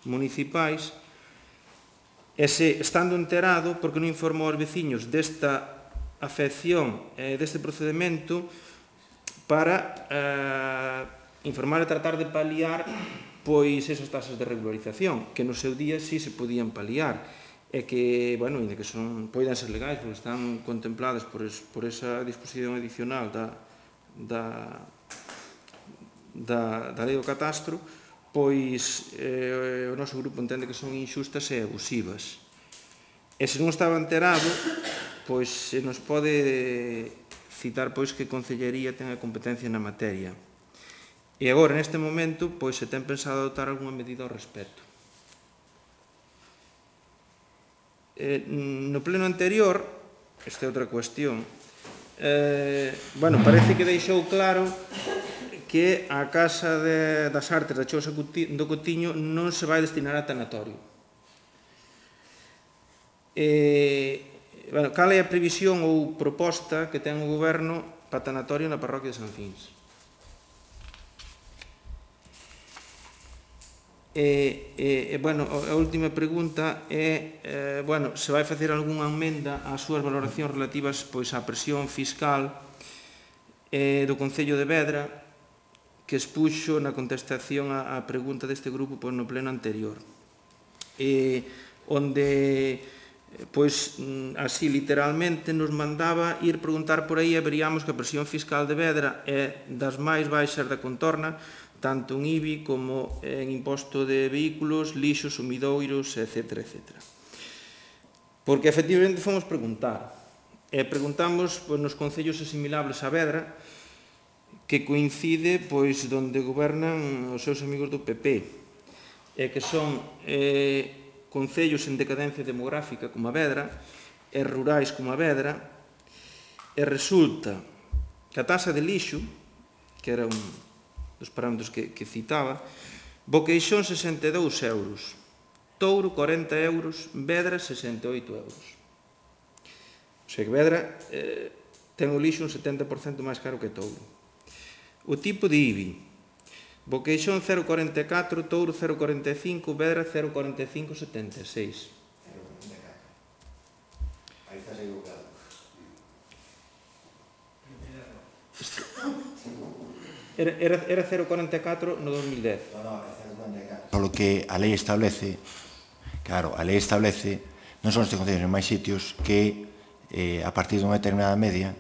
municipais, e se, estando enterado, porque non informou aos veciños desta afección, eh, deste procedimento, para eh, informar e tratar de paliar pois esas tasas de regularización, que no seu día sí se podían paliar, e que, bueno, ainda que son, poidan ser legais, porque están contempladas por, es, por esa disposición adicional da, da, da, da lei do catastro, pois eh, o noso grupo entende que son inxustas e abusivas. E se non estaba enterado, pois se nos pode citar pois que a Concellería ten a competencia na materia. E agora, neste momento, pois se ten pensado adoptar algunha medida ao respecto. Eh, no pleno anterior, esta é outra cuestión, eh, bueno, parece que deixou claro que a Casa de, das Artes da Chousa do Cotiño non se vai destinar a tanatorio. Eh, bueno, cal é a previsión ou proposta que ten o Goberno para tanatorio na parroquia de San Fins? E, e, bueno, a última pregunta é, eh, bueno, se vai facer algunha emenda ás súas valoracións relativas pois, á presión fiscal eh, do Concello de Vedra, que expuxo na contestación á, á pregunta deste grupo pois, no pleno anterior. E, onde, pois, así literalmente, nos mandaba ir preguntar por aí e veríamos que a presión fiscal de Vedra é das máis baixas da contorna, tanto en I B I como en imposto de vehículos, lixos, sumidoiros, etcétera, etcétera. Porque, efectivamente, fomos preguntar. E preguntamos pois, nos concellos asimilables a Vedra, que coincide pois, donde gobernan os seus amigos do P P, e que son eh, concellos en decadencia demográfica como a Vedra, e rurais como a Vedra, e resulta que a tasa de lixo, que era un dos parámetros que, que citaba, Boqueixón sesenta e dous euros, Touro corenta euros, Vedra sesenta e oito euros. O sea que Vedra eh, ten o lixo un setenta por cento máis caro que Touro. O tipo de I B I, Boqueixón cero coma cuarenta e catro, Touro cero coma cuarenta e cinco, Vedra cero coma cuarenta e cinco setenta e seis. cero coma cuarenta e catro. Aí estás equivocado. Era, era, era cero coma cuarenta e catro no dos mil dez. No, no, é cero coma cuarenta e catro. Polo que a lei establece, claro, a lei establece, non son estes concellos en máis sitios que eh, a partir dunha determinada media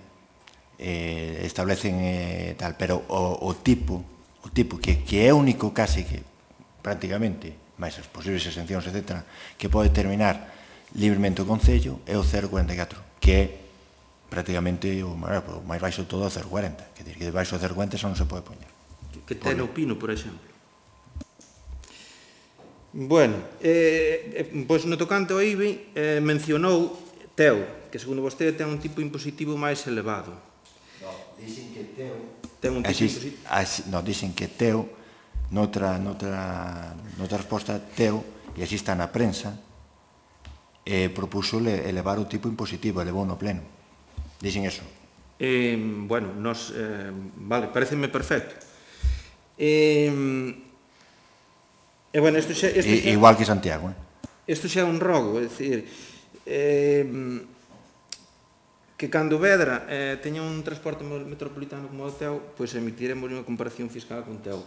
eh, establecen eh, tal, pero o, o tipo, o tipo que, que é único case que prácticamente, máis as posibles exencións, etcétera, que pode determinar libremente o Concello é o cero coma cuarenta e catro, que é prácticamente o máis baixo todo o cero coma cuarenta, que dir que debaixo do cero coma cuarenta xa non se pode poñer. Que ten o Pino, por exemplo. Bueno, eh, pois no tocante ao I B I eh, mencionou Teo, que segundo vostede ten un tipo impositivo máis elevado. No, dicen que Teo ten un tipo así, impositivo. Así, no, dicen que Teo noutra, noutra, noutra resposta Teo, e así está na prensa, eh, propuso elevar o tipo impositivo, elevou no pleno. Dicen eso. Eh, bueno, nos, eh, vale, pareceme perfecto. Eh, e bueno, isto xa, isto xa, I, igual que Santiago, eh? Isto xa é un rogo, é dicir, eh, que cando Vedra eh, teña un transporte metropolitano como o Teo, pois emitiremos unha comparación fiscal con Teo.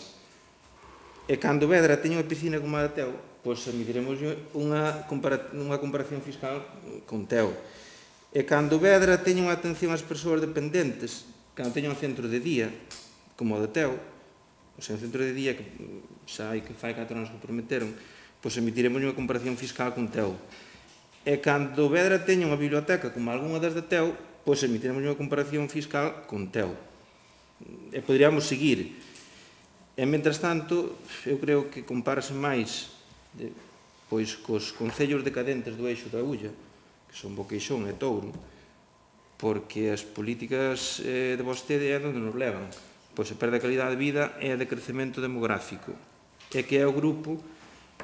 E cando Vedra teña unha piscina como a Teo, pois emitiremos unha, compara unha comparación fiscal con Teo. E cando Vedra teña unha atención ás persoas dependentes, cando teña un centro de día, como o de Teo, o sea, un centro de día que xa hai que fai catro anos que prometeron, pois emitiremos unha comparación fiscal con Teo. E cando Vedra teña unha biblioteca como algunha das de Teo, pois emitiremos unha comparación fiscal con Teo. E poderíamos seguir. E, mentras tanto, eu creo que compárase máis de, pois cos concellos decadentes do eixo da Ulla, que son Boqueixón e Touro, porque as políticas eh, de vostede é onde nos levan. Pois se perde a calidade de vida e a de crecemento demográfico. E que é o grupo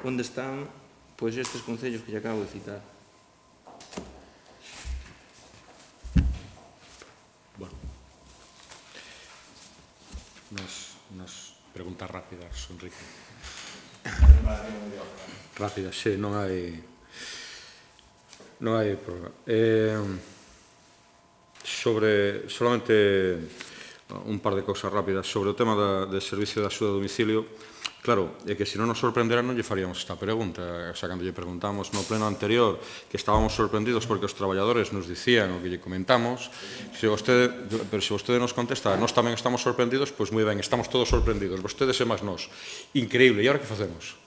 onde están pois estes concellos que lle acabo de citar. preguntas rápidas, Enrique. Rápidas, sí, non hai... Non hai problema. Eh, sobre, solamente un par de cousas rápidas. Sobre o tema da, de servicio de axuda a domicilio, claro, é que se non nos sorprendera non lle faríamos esta pregunta. O sea, cando lle preguntamos no pleno anterior que estábamos sorprendidos porque os traballadores nos dicían o que lle comentamos, se vostede, pero se vostede nos contesta, nós tamén estamos sorprendidos, pois moi ben, estamos todos sorprendidos, vostedes e máis nós. Increíble, e agora que facemos?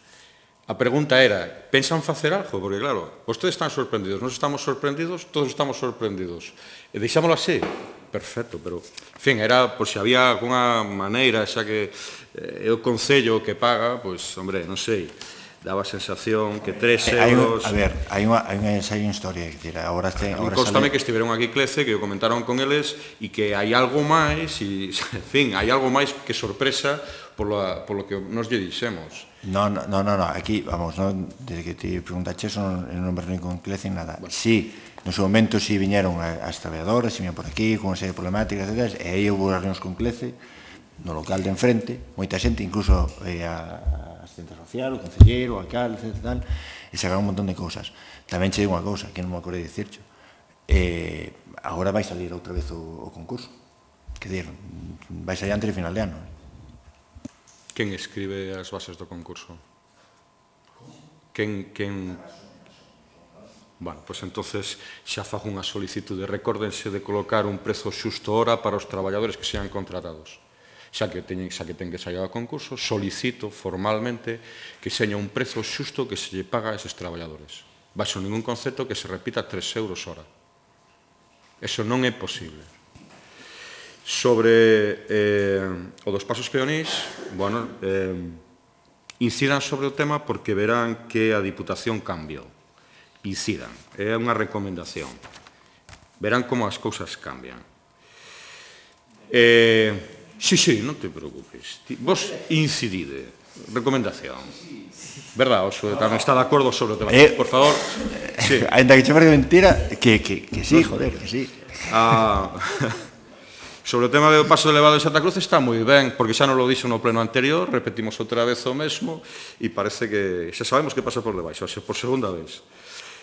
A pregunta era, pensan facer algo? Porque claro, vostedes están sorprendidos, nós estamos sorprendidos, todos estamos sorprendidos. E deixámoslo así? Perfecto, pero, en fin, era por se había alguna maneira, xa que é o Concello que paga, pois, hombre, non sei, daba a sensación que tres euros... A ver, hai unha, hai unha, hai unha historia, que decir, agora este... Constame que estiveron aquí Clece, que o comentaron con eles, e que hai algo máis, e, en fin, hai algo máis que sorpresa polo, polo que nos lle dixemos. No, no, no, no, aquí, vamos, no, desde que te preguntaste eso, non, non me reuní con Clece nada. Bueno. Sí, no seu momento sí viñeron as traballadoras, si viñeron por aquí, con unha serie de problemáticas, etcétera, e aí houve as reunións con Clece, no local de enfrente, moita xente, incluso eh, a asistente social, o concelleiro, o alcalde, etcétera, tal, e sacaron un montón de cousas. Tamén che digo unha cousa, que non me acordei de dicircho, eh, agora vai salir outra vez o, o concurso, que dir, vai salir antes de final de ano. Quen escribe as bases do concurso? Quen... quen... Bueno, pois entonces xa fago unha solicitude. Recórdense de colocar un prezo xusto hora para os traballadores que sean contratados. Xa que teñen, xa que ten que sair ao concurso, solicito formalmente que seña un prezo xusto que se lle paga a eses traballadores. Baixo ningún concepto que se repita tres euros hora. Eso non é posible. Sobre eh, o dos pasos peonís, bueno, eh, incidan sobre o tema porque verán que a Diputación cambiou. Incidan, é unha recomendación. Verán como as cousas cambian. Eh, sí, sí, non te preocupes. Vos incidide. Recomendación. Verdad, Oso, tamén está de acordo sobre o tema. Eh, Por favor. Sí. Ainda que che parece mentira, que, que, que sí, joder, que sí. Ah... Sobre o tema do paso elevado de Santa Cruz está moi ben, porque xa non lo dixo no pleno anterior, repetimos outra vez o mesmo, e parece que xa sabemos que pasa por debaixo, xa por segunda vez.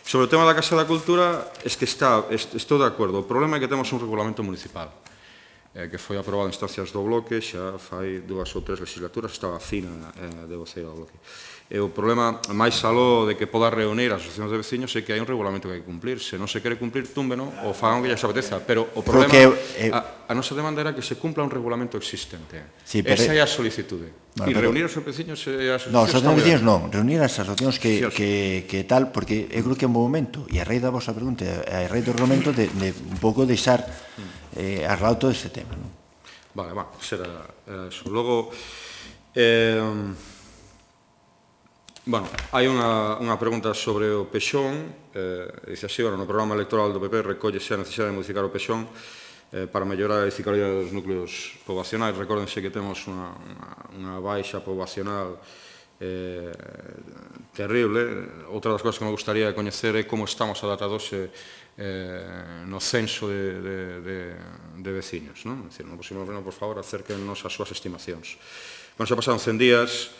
Sobre o tema da Casa da Cultura, es que está, estou de acordo. O problema é que temos un regulamento municipal, eh, que foi aprobado en instancias do bloque, xa fai dúas ou tres legislaturas, estaba fina eh, de voceiro do bloque. E o problema, máis aló de que poda reunir as asociacións de veciños, é que hai un regulamento que hai que cumplir. Se non se quere cumplir, túmbeno, ou fagan que lle apeteza. Pero o problema, Porque, eh, a, a nosa demanda era que se cumpla un regulamento existente. Sí, Esa é a solicitude. Bueno, e pero, reunir os veciños e as no, asociacións... No, os veciños non, reunir as asociacións que, Sí, que, que tal, porque eu creo que é un bom momento, e a raíz da vosa pregunta, a raíz do regulamento, de, de un pouco deixar eh, arreglado todo este tema. Non? Vale, va, será era eso. Logo, eh, bueno, hai unha, unha pregunta sobre o Pexón, eh, dice así, bueno, no programa electoral do P P recóllese a necesidade de modificar o Pexón eh, para mellorar a eficabilidade dos núcleos poboacionais. Recórdense que temos unha, unha, unha baixa poboacional eh, terrible. Outra das cousas que me gustaría coñecer é como estamos adaptados eh, no censo de, de, de, de veciños, non? É dicir, no próximo pleno, por favor, acérquenos as súas estimacións. Bueno, xa pasaron cen días,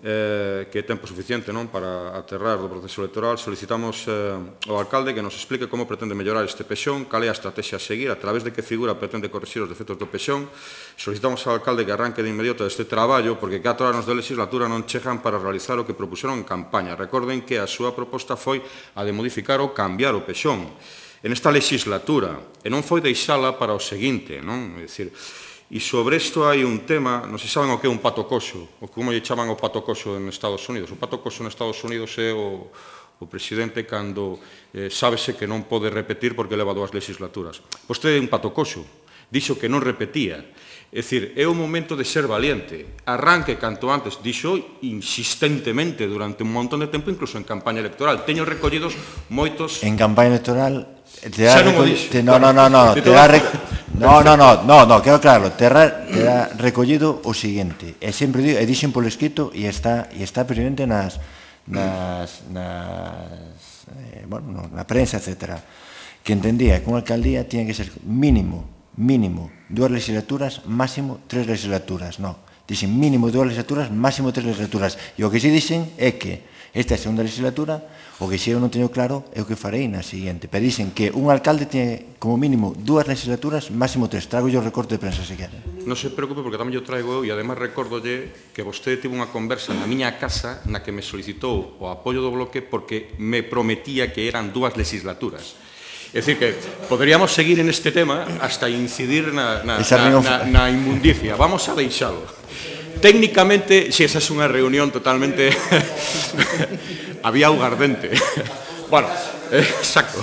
eh, que é tempo suficiente, non, para aterrar do proceso electoral. Solicitamos eh, ao alcalde que nos explique como pretende mellorar este Pexón, cal é a estrategia a seguir, a través de que figura pretende corrixir os defectos do Pexón. Solicitamos ao alcalde que arranque de inmediato este traballo, porque catro anos de legislatura non chegan para realizar o que propuseron en campaña. Recorden que a súa proposta foi a de modificar ou cambiar o Pexón en esta legislatura, e non foi deixala para o seguinte, non? É dicir, e sobre isto hai un tema, non se saben o que é un pato coxo, ou como lle chaman o pato coxo en Estados Unidos. O pato coxo en Estados Unidos é o, o presidente cando eh, sábese que non pode repetir porque leva dúas legislaturas. Vostede é un pato coxo, dixo que non repetía. É dicir, é o momento de ser valiente. Arranque canto antes, dixo insistentemente durante un montón de tempo, incluso en campaña electoral. Teño recollidos moitos... En campaña electoral... Te da te, no, no, no, no, te da rec... no, no, no, no, no, quero claro, te da, te da recollido o seguinte, e sempre digo, e dixen polo escrito e está e está presente nas nas, nas eh, bueno, na prensa, etcétera, que entendía que unha alcaldía tiña que ser mínimo, mínimo, dúas legislaturas, máximo tres legislaturas, no, Dixen mínimo dúas legislaturas, máximo tres legislaturas. E o que se dixen é que esta é a segunda legislatura, o que xe eu non teño claro é o que farei na seguinte. Pero dixen que un alcalde tiene como mínimo dúas legislaturas, máximo tres. Trago yo o recorte de prensa se quere. Non se preocupe porque tamén yo traigo eu e ademais recórdolle que vostede tivo unha conversa na miña casa na que me solicitou o apoio do bloque porque me prometía que eran dúas legislaturas. É dicir, que poderíamos seguir en este tema hasta incidir na, na, na, na, na inmundicia. Vamos a deixalo. Técnicamente, si esa é unha reunión totalmente... Había augardente. Bueno, eh, exacto.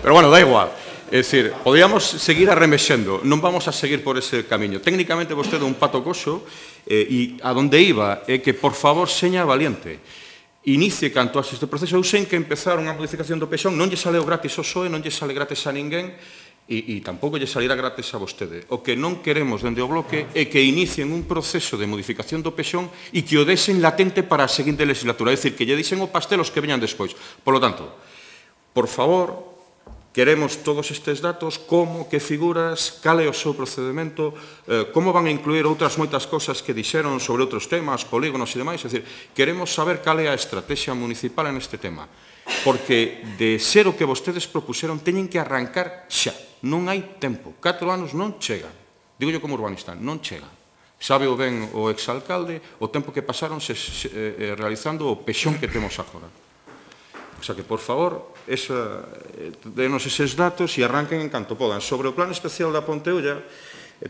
Pero bueno, da igual. É dicir, podríamos seguir arremexendo. Non vamos a seguir por ese camiño. Técnicamente, vostede un pato coxo eh, e a donde iba é que, por favor, seña valiente. Inicie canto a este proceso. Eu sei que empezar unha modificación do pexón non lle saleu gratis ao P S O E, non lle sale gratis a ninguén e, e tampouco lle salirá gratis a vostede. O que non queremos dende o bloque é que inicien un proceso de modificación do pexón e que o desen latente para a seguinte legislatura. É dicir, que lle dixen o pastel os que veñan despois. Por lo tanto, por favor, queremos todos estes datos, como, que figuras, cal é o seu procedimento, eh, como van a incluir outras moitas cosas que dixeron sobre outros temas, polígonos e demais. É dicir, queremos saber cal é a estrategia municipal en este tema. Porque de ser o que vostedes propuseron, teñen que arrancar xa. Non hai tempo. Catro anos non chegan. Digo yo como urbanista, non chegan. Sabe o ben o exalcalde o tempo que pasaron se, se, eh, realizando o pexón que temos agora. O sea que, por favor, esa, denos eses datos e arranquen en canto podan. Sobre o plan especial da Ponteulla,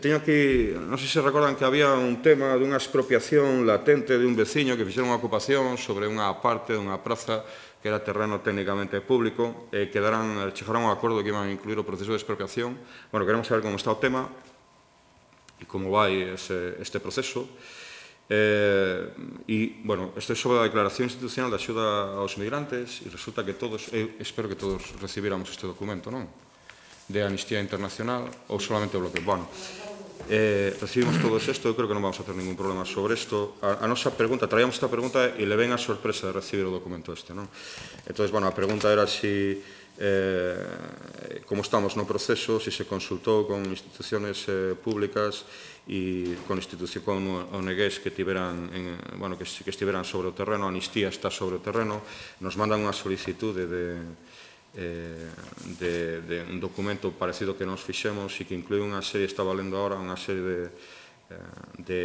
teño aquí, non sei se recordan que había un tema dunha expropiación latente de un veciño que fixeron unha ocupación sobre unha parte dunha praza que era terreno técnicamente público, e quedaran, chegaron a un acordo que iban a incluir o proceso de expropiación. Bueno, queremos saber como está o tema e como vai ese, este proceso. Eh, e, bueno, isto é sobre a declaración institucional de axuda aos migrantes e resulta que todos, eu espero que todos recibíramos este documento, non? De Amnistía Internacional ou solamente o bloque. Bueno, eh, recibimos todo isto, eu creo que non vamos a ter ningún problema sobre isto. A, a nosa pregunta, traíamos esta pregunta e le ven a sorpresa de recibir o documento este, non? Entón, bueno, a pregunta era si eh, como estamos no proceso, si se consultou con instituciones eh, públicas e con institución con O N Gs que tiveran en, bueno, que, que estiveran sobre o terreno. A Amnistía está sobre o terreno, nos mandan unha solicitude de, eh, de, de un documento parecido que nos fixemos e que inclui unha serie, está valendo agora unha serie de, de,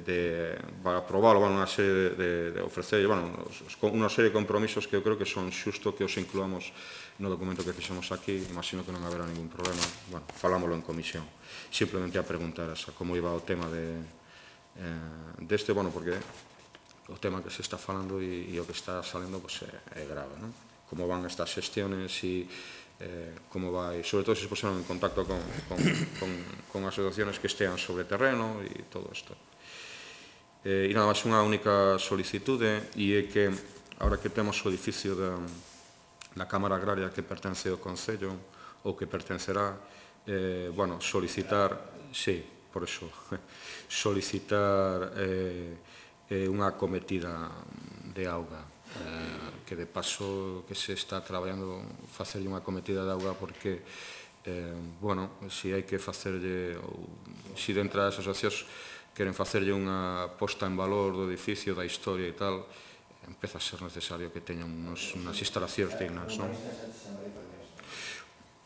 de para aprobarlo, bueno, unha serie de, de, de ofrecer, bueno, unha serie de compromisos que eu creo que son xusto que os incluamos no documento que fixemos aquí. Imagino que non haberá ningún problema. Bueno, falámoslo en comisión. Simplemente a preguntar asa como iba o tema de, eh, deste, bueno, porque o tema que se está falando e, e o que está salendo pues, é, é grave, non? Como van estas xestiones e eh, como vai, sobre todo se se puseron en contacto con, con, con, con asociaciones que estean sobre terreno e todo isto. Eh, e nada máis unha única solicitude e é que, ahora que temos o edificio da, da Cámara Agraria que pertence ao Concello ou que pertencerá, eh, bueno, solicitar, sí, por eso, solicitar eh, eh, unha cometida de auga, eh, que de paso que se está traballando facerlle unha cometida de auga porque, eh, bueno, se hai que facerlle, ou se dentro das asociacións queren facerlle unha posta en valor do edificio, da historia e tal, empeza a ser necesario que teñan unos, unas instalacións dignas, non?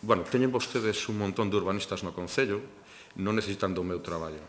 Bueno, teñen vostedes un montón de urbanistas no Concello, non necesitan do meu traballo.